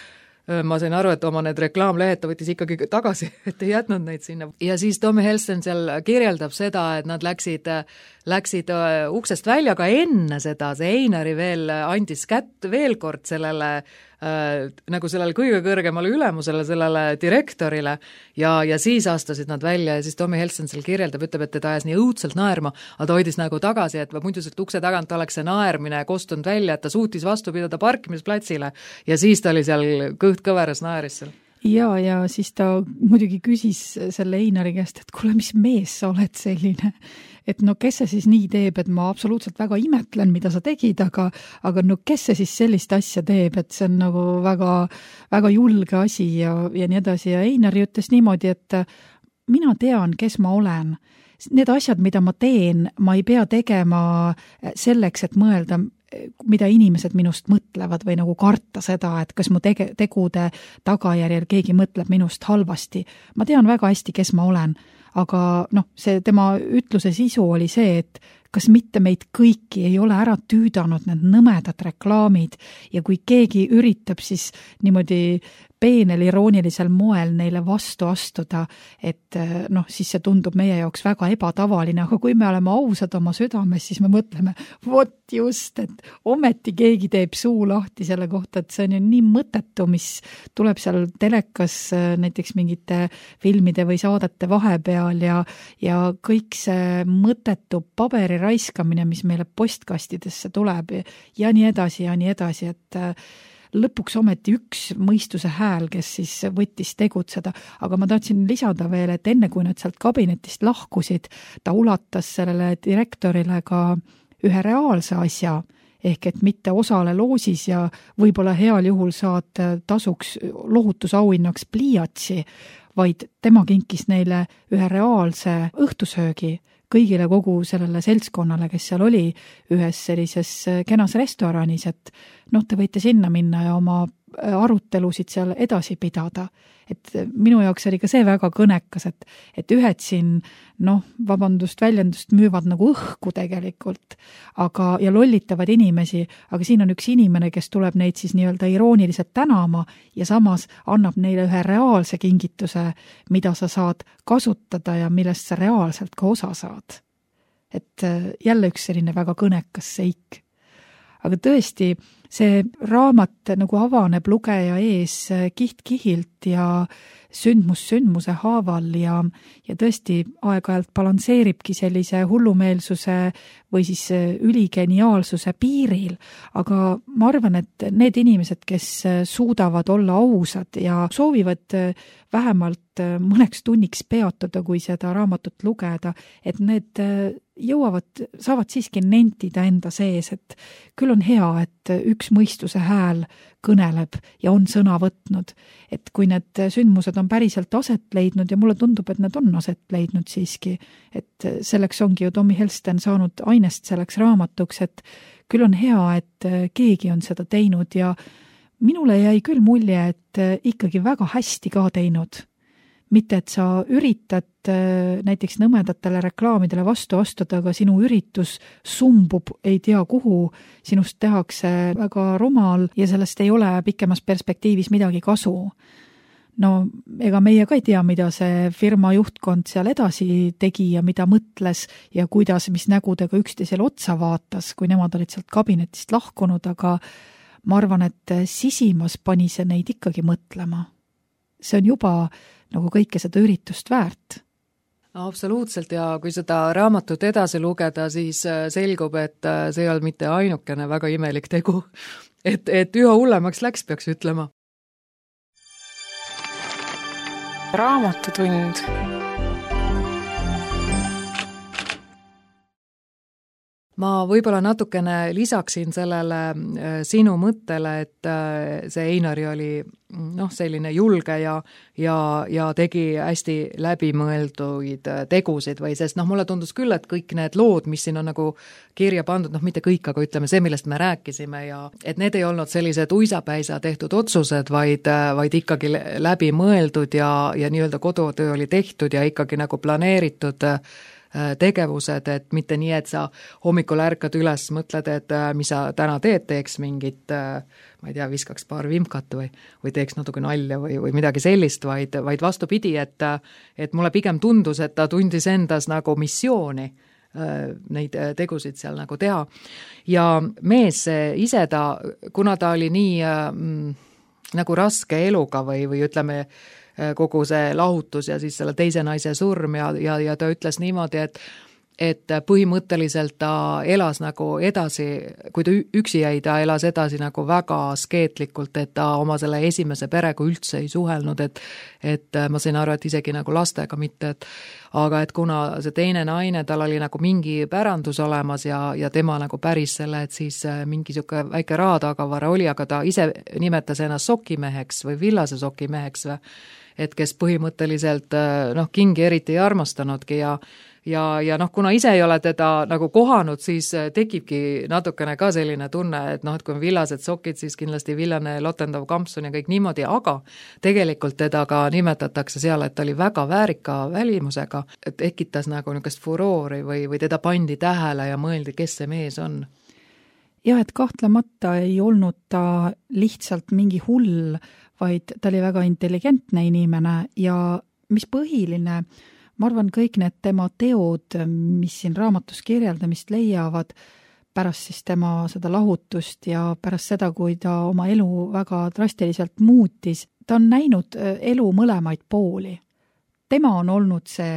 ma sain aru, et oma need reklaamlehed ta võttis ikkagi tagasi, et ei jätnud neid sinna. Ja siis Tommy Helston seal kirjeldab seda, et nad läksid uksest välja, aga enne seda see Einari veel andis kätt veel kord sellele nagu sellele kõige kõrgemale ülemusele, sellele direktorile ja siis astusid nad välja ja siis Tommy Helston seal kirjeldab, ütleb, et teda ajas nii õudselt naerma, aga ta hoidis nagu tagasi, et muidu sealt ukse tagant oleks see naermine kostunud välja, et ta suutis vastu pidada parkimisplatsile ja siis ta oli seal kõht kõveras naeris seal. Ja siis ta muidugi küsis selle Einari käest, et kuule, mis mees sa oled selline, et kes see siis nii teeb, et ma absoluutselt väga imetlen, mida sa tegid, aga kes see siis sellist asja teeb, et see on nagu väga, väga julge asi ja nii edasi ja Einari ütles niimoodi, et mina tean, kes ma olen. Need asjad, mida ma teen, ma ei pea tegema selleks, et mõelda, mida inimesed minust mõtlevad või nagu karta seda, et kas mu tegude tagajärjel keegi mõtleb minust halvasti. Ma tean väga hästi, kes ma olen, aga see tema ütluse sisu oli see, et kas mitte meid kõiki ei ole ära tüüdanud need nõmedad reklaamid ja kui keegi üritab siis niimoodi peenel iroonilisel moel neile vastu astuda, et siis see tundub meie jaoks väga ebatavaline, aga kui me oleme ausad oma südames, siis me mõtleme, vot just, et ometi keegi teeb suu lahti selle kohta, et see on ju nii mõttetu, mis tuleb seal telekas näiteks mingite filmide või saadete vahepeal ja kõik see mõttetu paberi raiskamine, mis meile postkastidesse tuleb ja nii edasi, et lõpuks ometi üks mõistuse hääl, kes siis võttis tegutseda, aga ma tahtsin lisada veel, et enne kui nad sealt kabinetist lahkusid, ta ulatas sellele direktorile ka ühe reaalse asja, ehk et mitte osale loosis ja võib-olla heal juhul saad tasuks lohutusauhinnaks pliiatsi, vaid tema kinkis neile ühe reaalse õhtusöögi kõigile kogu sellele seltskonnale, kes seal oli ühes sellises kenas restoranis, et te võite sinna minna ja oma arutelusid seal edasi pidada. Et minu jaoks oli ka see väga kõnekas, et ühed siin, väljendust müüvad nagu õhku tegelikult, ja lollitavad inimesi, aga siin on üks inimene, kes tuleb neid siis nii-öelda irooniliselt tänama ja samas annab neile ühe reaalse kingituse, mida sa saad kasutada ja millest sa reaalselt ka osa saad. Et jälle üks selline väga kõnekas seik. Aga tõesti, see raamat nagu avaneb lugeja ees kiht-kihilt ja sündmuse haaval ja tõesti aeg-ajalt balansseeribki sellise hullumeelsuse või siis üligeniaalsuse piiril, aga ma arvan, et need inimesed, kes suudavad olla ausad ja soovivad vähemalt mõneks tunniks peatuda, kui seda raamatut lugeda, et need saavad siiski nentida enda sees, et küll on hea, et üks mõistuse hääl kõneleb ja on sõna võtnud, et kui need sündmused on päriselt aset leidnud ja mulle tundub, et need on aset leidnud siiski, et selleks ongi ju Tommy Helsten saanud ainest selleks raamatuks, et küll on hea, et keegi on seda teinud ja minule jäi küll mulje, et ikkagi väga hästi ka teinud. Mitte, et sa üritad näiteks nõmedatele reklaamidele vastu astuda, aga sinu üritus sumbub ei tea kuhu, sinust tehakse väga rumal ja sellest ei ole pikemas perspektiivis midagi kasu. No ega meie ka ei tea, mida see firma juhtkond seal edasi tegi ja mida mõtles ja kuidas, mis nägudega üksteisele otsa vaatas, kui nemad olid sealt kabinetist lahkunud, aga ma arvan, et sisimas pani see neid ikkagi mõtlema. See on juba nagu kõike seda üritust väärt. Absoluutselt ja kui seda raamatut edasi lugeda, siis selgub, et see ei olnud mitte ainukene väga imelik tegu. Et üha hullemaks läks, peaks ütlema. Raamatutund. Ma võib-olla natukene lisaksin sellele sinu mõttele, et see Einari oli selline julge ja tegi hästi läbimõelduid tegusid või sest mulle tundus küll, et kõik need lood, mis siin on nagu kirja pandud, mitte kõik, aga ütleme see, millest me rääkisime ja et need ei olnud sellised uisapäisa tehtud otsused, vaid ikkagi läbimõeldud ja nii-öelda kodutöö oli tehtud ja ikkagi nagu planeeritud tegevused, et mitte nii, et sa hommikul ärkad üles, mõtled, et mis sa täna teeks mingit, ma ei tea, viskaks paar vimkat või teeks natuke nalja või midagi sellist, vaid vastupidi, et mulle pigem tundus, et ta tundis endas nagu missiooni neid tegusid seal nagu teha. Ja mees ise kuna ta oli nii nagu raske eluga või ütleme, kogu see lahutus ja siis selle teise naise surm ja ta ütles niimoodi, et põhimõtteliselt ta elas nagu edasi, kui ta üksi jäi, ta elas edasi nagu väga askeetlikult, et ta oma selle esimese perega üldse ei suhelnud, et ma sain aru, et isegi nagu lastega mitte, aga et kuna see teine naine, tal oli nagu mingi pärandus olemas ja tema nagu päris selle, et siis mingi siuke väike rahatagavara oli, aga ta ise nimetas ennast sokimeheks või villase sokimeheks või et kes põhimõtteliselt kingi eriti ei armastanudki ja kuna ise ei ole teda nagu kohanud, siis tekibki natukene ka selline tunne, et et kui on villased sokid, siis kindlasti villane lotendav kampsun ja kõik niimoodi, aga tegelikult teda ka nimetatakse seal, et ta oli väga väärika välimusega, et tekitas nagu niisugust furoori või teda pandi tähele ja mõeldi, kes see mees on. Jah, et kahtlemata ei olnud ta lihtsalt mingi hull, vaid ta oli väga intelligentne inimene ja mis põhiline, ma arvan, kõik need tema teod, mis siin raamatus kirjeldamist leiavad, pärast siis tema seda lahutust ja pärast seda, kui ta oma elu väga drastiliselt muutis, ta on näinud elu mõlemaid pooli. Tema on olnud see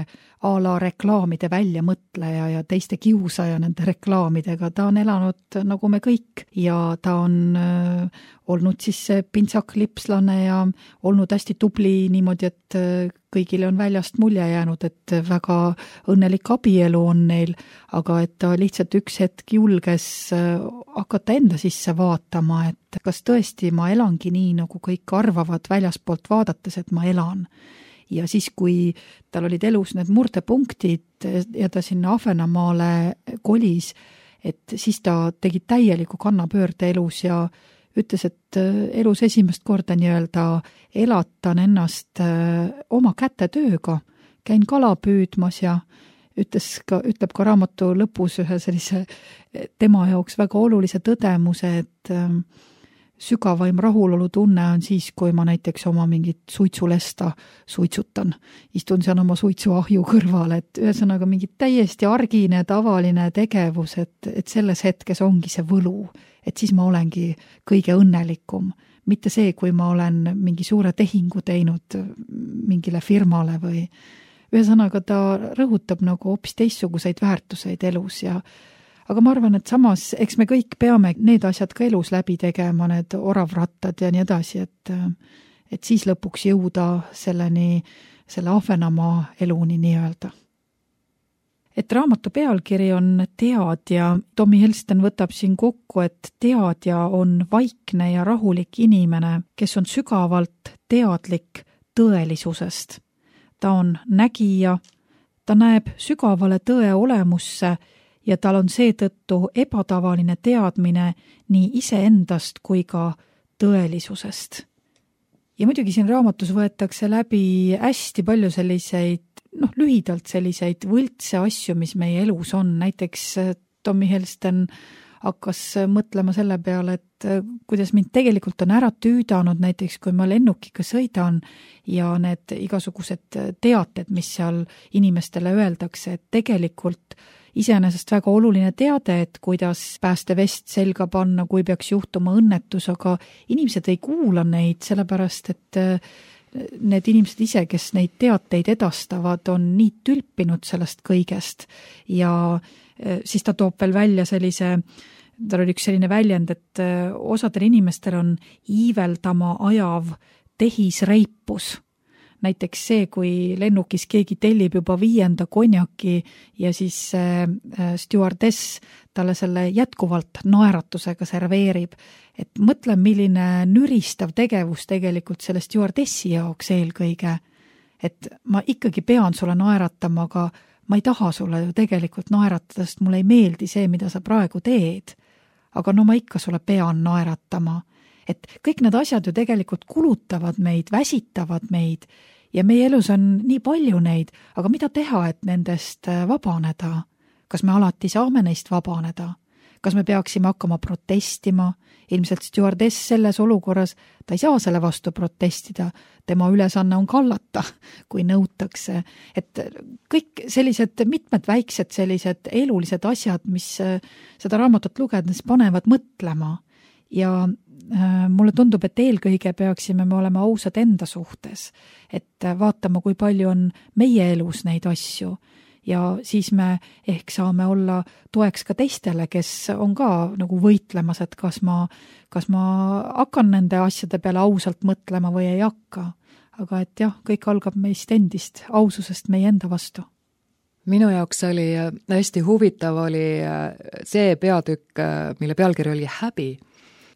a la reklaamide väljamõtleja ja teiste kiusaja nende reklaamidega. Ta on elanud nagu me kõik ja ta on olnud siis see pintsaklipslane ja olnud hästi tubli niimoodi, et kõigile on väljast mulje jäänud, et väga õnnelik abielu on neil, aga et ta lihtsalt üks hetk julges hakata enda sisse vaatama, et kas tõesti ma elangi nii, nagu kõik arvavad väljaspoolt vaadates, et ma elan. Ja siis, kui tal olid elus need murdepunktid ja ta sinna Ahvenamaale kolis, et siis ta tegi täieliku kannapöörde elus ja ütles, et elus esimest korda nii-öelda elatan ennast oma kätetööga, käin kala püüdmas ja ütleb ka raamatu lõpus ühe sellise tema jaoks väga olulise tõdemuse, et sügavaim rahulolu tunne on siis, kui ma näiteks oma mingit suitsulesta suitsutan. Istun seal oma suitsuahju kõrval, et ühesõnaga mingi täiesti argine, tavaline tegevus, et selles hetkes ongi see võlu, et siis ma olengi kõige õnnelikum. Mitte see, kui ma olen mingi suure tehingu teinud mingile firmale või ühesõnaga ta rõhutab nagu hoopis teistsuguseid väärtuseid elus ja aga ma arvan, et samas, eks me kõik peame need asjad ka elus läbi tegema, need oravrattad ja nii edasi, et siis lõpuks jõuda selleni selle Ahvenamaa eluni nii-öelda. Et raamatu pealkiri on Teadja. Tommy Helston võtab siin kokku, et teadja on vaikne ja rahulik inimene, kes on sügavalt teadlik tõelisusest. Ta on nägija, ta näeb sügavale tõe olemusse ja tal on seetõttu ebatavaline teadmine nii iseendast kui ka tõelisusest. Ja muidugi siin raamatus võetakse läbi hästi palju selliseid, lühidalt selliseid võltse asju, mis meie elus on. Näiteks Tommy Helston hakkas mõtlema selle peale, et kuidas mind tegelikult on ära tüüdanud, näiteks kui ma lennukiga sõidan ja need igasugused teated, mis seal inimestele öeldakse, et tegelikult iseenesest väga oluline teade, et kuidas päästevest selga panna, kui peaks juhtuma õnnetus, aga inimesed ei kuula neid, sellepärast et need inimesed ise, kes neid teateid edastavad, on nii tülpinud sellest kõigest ja siis ta toob veel välja tal oli üks selline väljend, et osadel inimestel on iiveldama ajav tehisreipus. Näiteks see, kui lennukis keegi tellib juba 5. konjaki ja siis stjuardess talle selle jätkuvalt naeratusega serveerib. Et mõtle, milline nüristav tegevus tegelikult selle stjuardessi jaoks eelkõige. Et ma ikkagi pean sulle naeratama, aga ma ei taha sulle ju tegelikult naeratada, sest mulle ei meeldi see, mida sa praegu teed. Aga ma ikka sulle pean naeratama. Et kõik need asjad ju tegelikult kulutavad meid, väsitavad meid ja meie elus on nii palju neid, aga mida teha, et nendest vabaneda? Kas me alati saame neist vabaneda? Kas me peaksime hakkama protestima? Ilmselt stjuardess selles olukorras, ta ei saa selle vastu protestida. Tema ülesanne on kallata, kui nõutakse. Et kõik sellised mitmed väiksed sellised elulised asjad, mis seda raamatut lugedes panevad mõtlema. Ja mulle tundub, et eelkõige peaksime me olema ausad enda suhtes, et vaatama, kui palju on meie elus neid asju ja siis me ehk saame olla toeks ka teistele, kes on ka nagu võitlemas, et kas ma hakkan nende asjade peale ausalt mõtlema või ei hakka. Aga et jah, kõik algab meist endist, aususest meie enda vastu. Minu jaoks oli hästi huvitav oli see peatükk, mille pealkiri oli Häbi.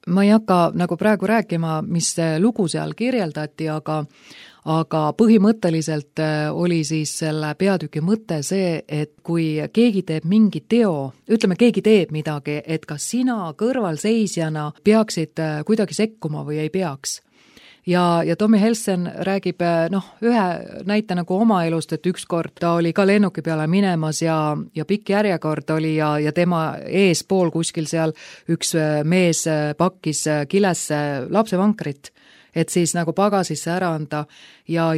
Ma ei hakka nagu praegu rääkima, mis lugu seal kirjeldati, aga põhimõtteliselt oli siis selle peatüki mõte see, et kui keegi teeb mingi teo, ütleme, keegi teeb midagi, et kas sina kõrvalseisjana peaksid kuidagi sekkuma või ei peaks. Ja Tommy Helston räägib ühe näite nagu oma elust, et ükskord ta oli ka lennuki peale minemas ja pikk järjekord oli ja tema eespool kuskil seal üks mees pakkis kilesse lapsevankrit, et siis nagu pagasisse ära anda ja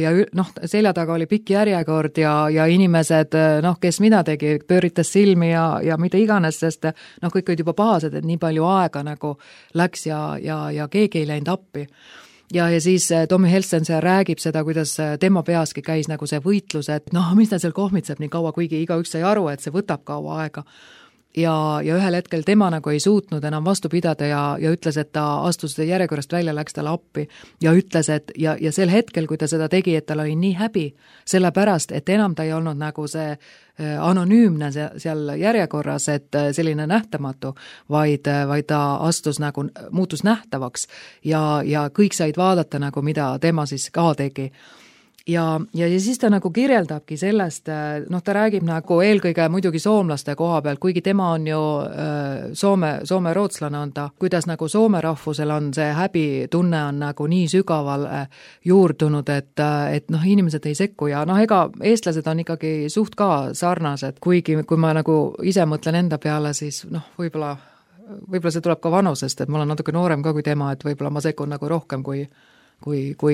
selja taga oli pikk järjekord ja inimesed, kes mida tegi, pööritas silmi ja mida iganes, sest kõik olid juba pahased, et nii palju aega nagu läks ja keegi ei läinud appi. Ja siis Tommy Helston seal räägib seda, kuidas tema peaski käis nagu see võitlus, et mis ta seal kohmitseb nii kaua, kuigi igaüks sai aru, et see võtab kaua aega. Ja ühel hetkel tema nagu ei suutnud enam vastu pidada ja ütles, et ta astus järjekorrast välja, läks talle appi ja ütles, et ja sel hetkel, kui ta seda tegi, et tal oli nii häbi, sellepärast, et enam ta ei olnud nagu see anonüümne seal järjekorras, et selline nähtamatu, vaid ta astus nagu, muutus nähtavaks ja kõik said vaadata nagu, mida tema siis ka tegi. Ja siis ta nagu kirjeldabki sellest, ta räägib nagu eelkõige muidugi soomlaste koha pealt, kuigi tema on ju Soome rootslane on ta, kuidas nagu soome rahvusel on see häbitunne on nagu nii sügaval juurdunud, et inimesed ei sekku ja ega eestlased on ikkagi suht ka sarnased, kuigi kui ma nagu ise mõtlen enda peale, siis võib-olla see tuleb ka vanusest, et ma olen natuke noorem ka kui tema, et võib-olla ma sekun nagu rohkem kui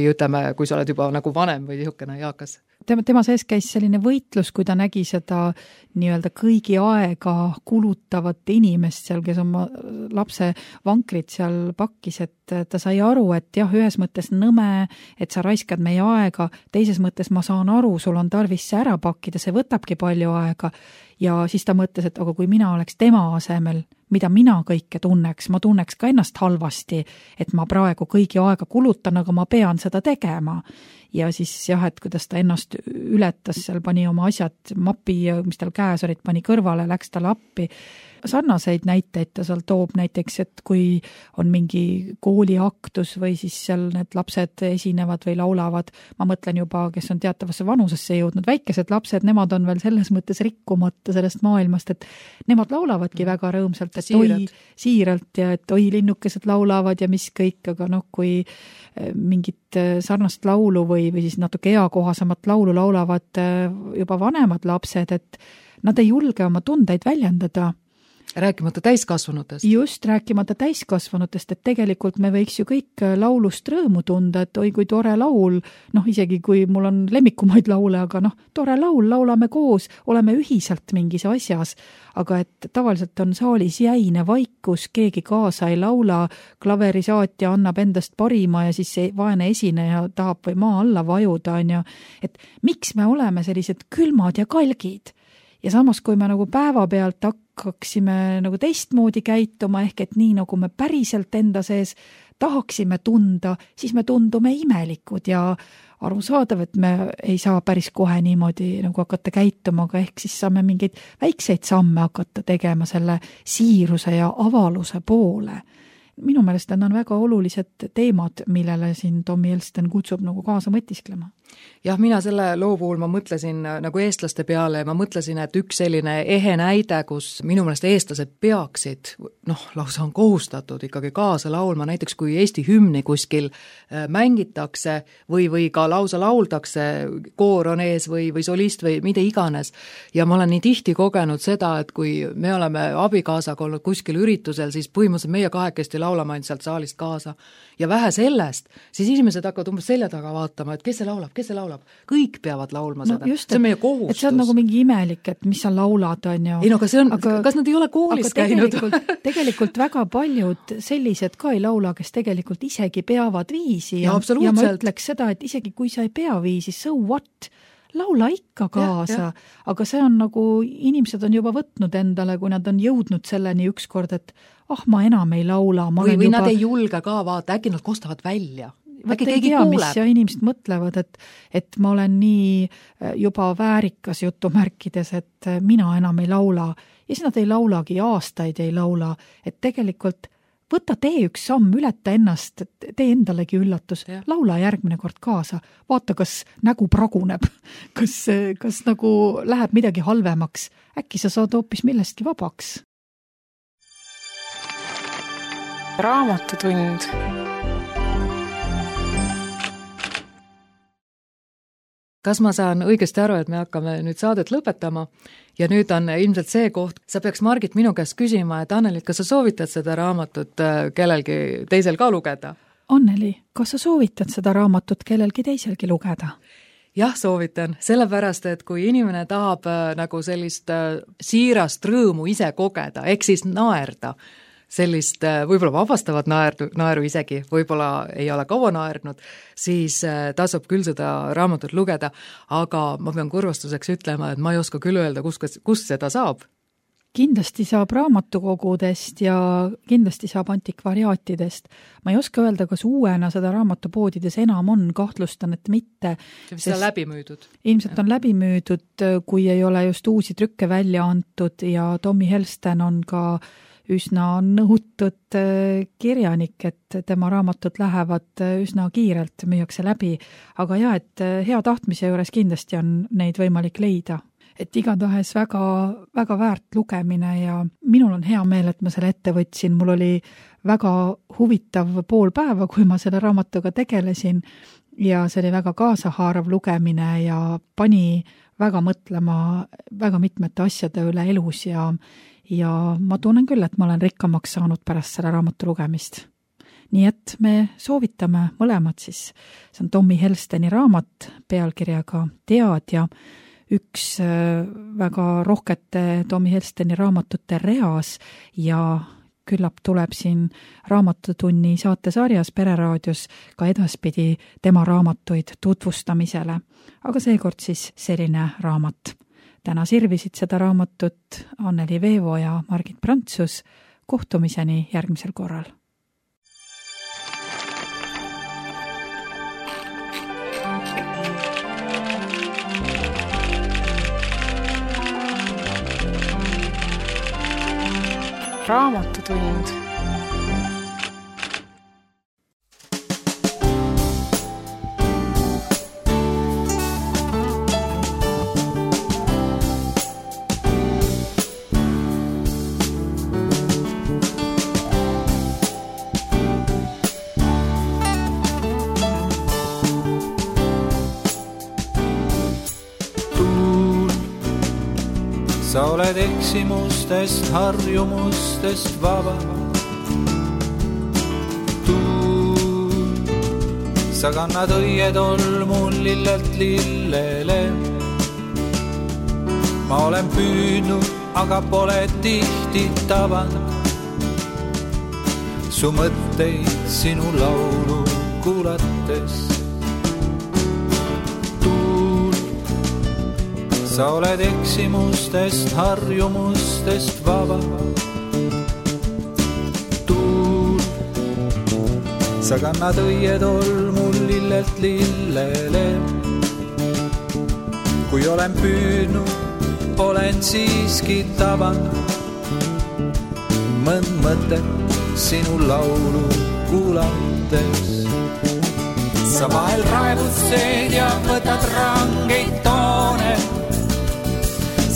ütleme, kui sa oled juba nagu vanem või niisugune jaakas. Tema sees käis selline võitlus, kui ta nägi seda nii-öelda kõigi aega kulutavat inimest seal, kes oma lapse vankrit seal pakkis, et ta sai aru, et jah, ühes mõttes nõme, et sa raiskad meie aega, teises mõttes ma saan aru, sul on tarvis see ära pakkida, see võtabki palju aega ja siis ta mõtles, et aga kui mina oleks tema asemel, mida mina kõike tunneks, ma tunneks ka ennast halvasti, et ma praegu kõigi aega kulutan, aga ma pean seda tegema. Ja siis jah, et kuidas ta ennast ületas, seal pani oma asjad mapi, mis tal käes olid, pani kõrvale, läks talle appi. Sarnaseid näiteid ta seal toob näiteks, et kui on mingi kooliaktus või siis seal need lapsed esinevad või laulavad, ma mõtlen juba, kes on teatavasse vanusesse jõudnud, väikesed lapsed, nemad on veel selles mõttes rikkumata sellest maailmast, et nemad laulavadki väga rõõmsalt, et siiralt ja et oi, linnukesed laulavad ja mis kõik, aga kui mingit sarnast laulu või siis natuke eakohasemat laulu laulavad juba vanemad lapsed, et nad ei julge oma tundeid väljendada. Rääkimata täiskasvanutest. Just, rääkimata täiskasvanutest, et tegelikult me võiks ju kõik laulust rõõmu tunda, et oi kui tore laul, isegi kui mul on lemmikumaid laule, aga tore laul, laulame koos, oleme ühiselt mingis asjas, aga et tavaliselt on saalis jäine vaikus, keegi kaasa ei laula, klaverisaatja annab endast parima ja siis see vaene esineja tahab või maa alla vajuda, et miks me oleme sellised külmad ja kalgid? Ja samas, kui me päevapealt hakkaksime teistmoodi käituma, ehk et nii nagu me päriselt enda sees tahaksime tunda, siis me tundume imelikud ja arusaadav, et me ei saa päris kohe niimoodi hakata käituma, aga ehk siis saame mingeid väikseid samme hakata tegema selle siiruse ja avaluse poole. Minu meelest need on väga olulised teemad, millele siin Tommy Elston kutsub kaasa mõtisklema. Jah, mina selle loo puhul ma mõtlesin eestlaste peale ja ma mõtlesin, et üks selline ehe näide, kus minu meelest eestlased peaksid, lausa on kohustatud ikkagi kaasa laulma, näiteks kui Eesti hümni kuskil mängitakse või ka lausa lauldakse, koor on ees või solist või mida iganes. Ja ma olen nii tihti kogenud seda, et kui me oleme abikaasaga olnud kuskil üritusel, siis põhimõtteliselt meie kahekesti laulama ainult sealt saalist kaasa. Ja vähe sellest, siis inimesed hakkavad umbes selja taga vaatama, et kes see laulab. Kõik peavad laulma seda. See on meie kohustus. Et see on mingi imelik, et mis sa laulad, on ju. Ei, kas nad ei ole koolis käinud? Tegelikult väga paljud sellised ka ei laula, kes tegelikult isegi peavad viisi. Ja ma ütleks seda, et isegi kui sa ei pea viisi, so what? Laula ikka kaasa, aga see on inimesed on juba võtnud endale, kui nad on jõudnud selleni ükskord, et ma enam ei laula. Või nad ei julge ka vaata, äkki nad kostavad välja. Äkki keegi kuuleb. Mis ja inimesed mõtlevad, et ma olen nii juba väärikas jutumärkides, et mina enam ei laula. Ja siis nad ei laulagi, aastaid ei laula, et tegelikult võta tee üks samm, ületa ennast, tee endalegi üllatus, laula järgmine kord kaasa, vaata, kas nägu praguneb, kas läheb midagi halvemaks, äkki sa saad hoopis millestki vabaks. Raamatutund. Kas ma saan õigesti aru, et me hakkame nüüd saadet lõpetama ja nüüd on ilmselt see koht, sa peaks Margit minu käest küsima, et Anneli, kas sa soovitad seda raamatut kellelgi teisel ka lugeda? Anneli, kas sa soovitad seda raamatut kellelgi teiselgi lugeda? Jah, soovitan, sellepärast, et kui inimene tahab sellist siirast rõõmu ise kogeda, ehk siis naerda, sellist võib-olla vabastavat naeru isegi, võib-olla ei ole kaua naernud, siis tasub küll seda raamatut lugeda, aga ma pean kurvastuseks ütlema, et ma ei oska küll öelda, kus seda saab. Kindlasti saab raamatukogudest ja kindlasti saab antikvariaatidest. Ma ei oska öelda, kas uuena seda raamatupoodides enam on, kahtlustan, et mitte. See on läbi müüdud. Ilmselt on läbi müüdud, kui ei ole just uusi trükke välja antud ja Tommy Elston on ka üsna nõutud kirjanik, et tema raamatud lähevad üsna kiirelt, müüakse läbi. Aga et hea tahtmise juures kindlasti on neid võimalik leida. Et igatahes väga, väga väärt lugemine ja minul on hea meel, et ma selle ette võtsin. Mul oli väga huvitav pool päeva, kui ma selle raamatuga tegelesin ja see oli väga kaasahaarav lugemine ja pani väga mõtlema väga mitmete asjade üle elus ja ma tunnen küll, et ma olen rikkamaks saanud pärast selle raamatu lugemist. Nii et me soovitame mõlemad siis. See on Tommy Elstoni raamat pealkirjaga Teadja, üks väga rohkete Tommy Elstoni raamatute reas ja küllap tuleb siin Raamatutunni saatesarjas Pereraadios ka edaspidi tema raamatuid tutvustamisele. Aga seekord siis selline raamat. Täna sirvisid seda raamatut Anneli Veevo ja Margit Prantsus. kohtumiseni järgmisel korral. Raamatutund. Sa oled eksimustest, harjumustest vaba. Sa kannad õietolmu lillelt lillele. Ma olen püüdnud, aga pole tihti tabanud su mõtteid sinu laulu kuulates. Sa oled eksimustest, harjumustest vaba. Tuul, sa kannad õietolmu lillelt lillele. Kui olen püüdnud, olen siiski tabanud mõnd mõtet sinu laulu kuulates. Sa vahel raevutsed ja võtad rangeid toone.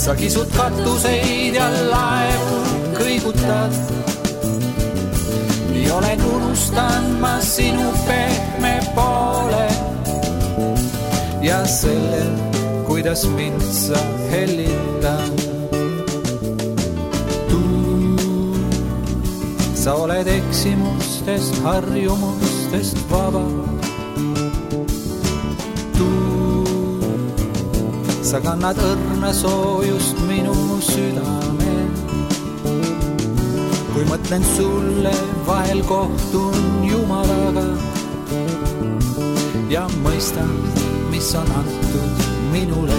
Sa kisud katuseid ja laevu kõigutad. Nii olen unustanud ma sinu pehme poole ja selle, kuidas mind sa hellitad. Sa oled eksimustest, harjumustest vaba. Sa kannad õrna soojust minu südame. Kui mõtlen sulle, vahel kohtun Jumalaga ja mõistan, mis on antud minule.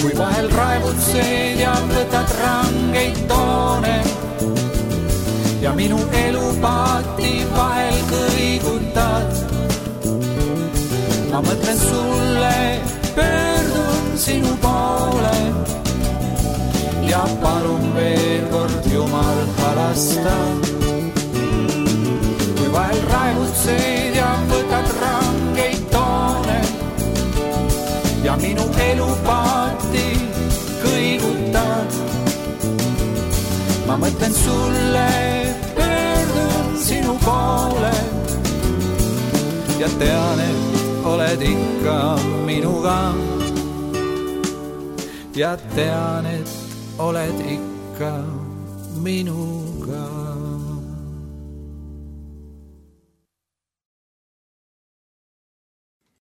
Kui vahel raevutsed ja võtad rangeid toone ja minu elupaati vahel kõigutad, ma mõtlen sulle, pöördun sinu poole ja palun veel kord Jumal halasta. Kui vahel raevutsed ja võtad rangeid toone ja minu elupaati kõigutad, ma mõtlen sulle, pöördun sinu poole ja tean, et oled ikka minuga. Ja tean, et oled ikka minuga.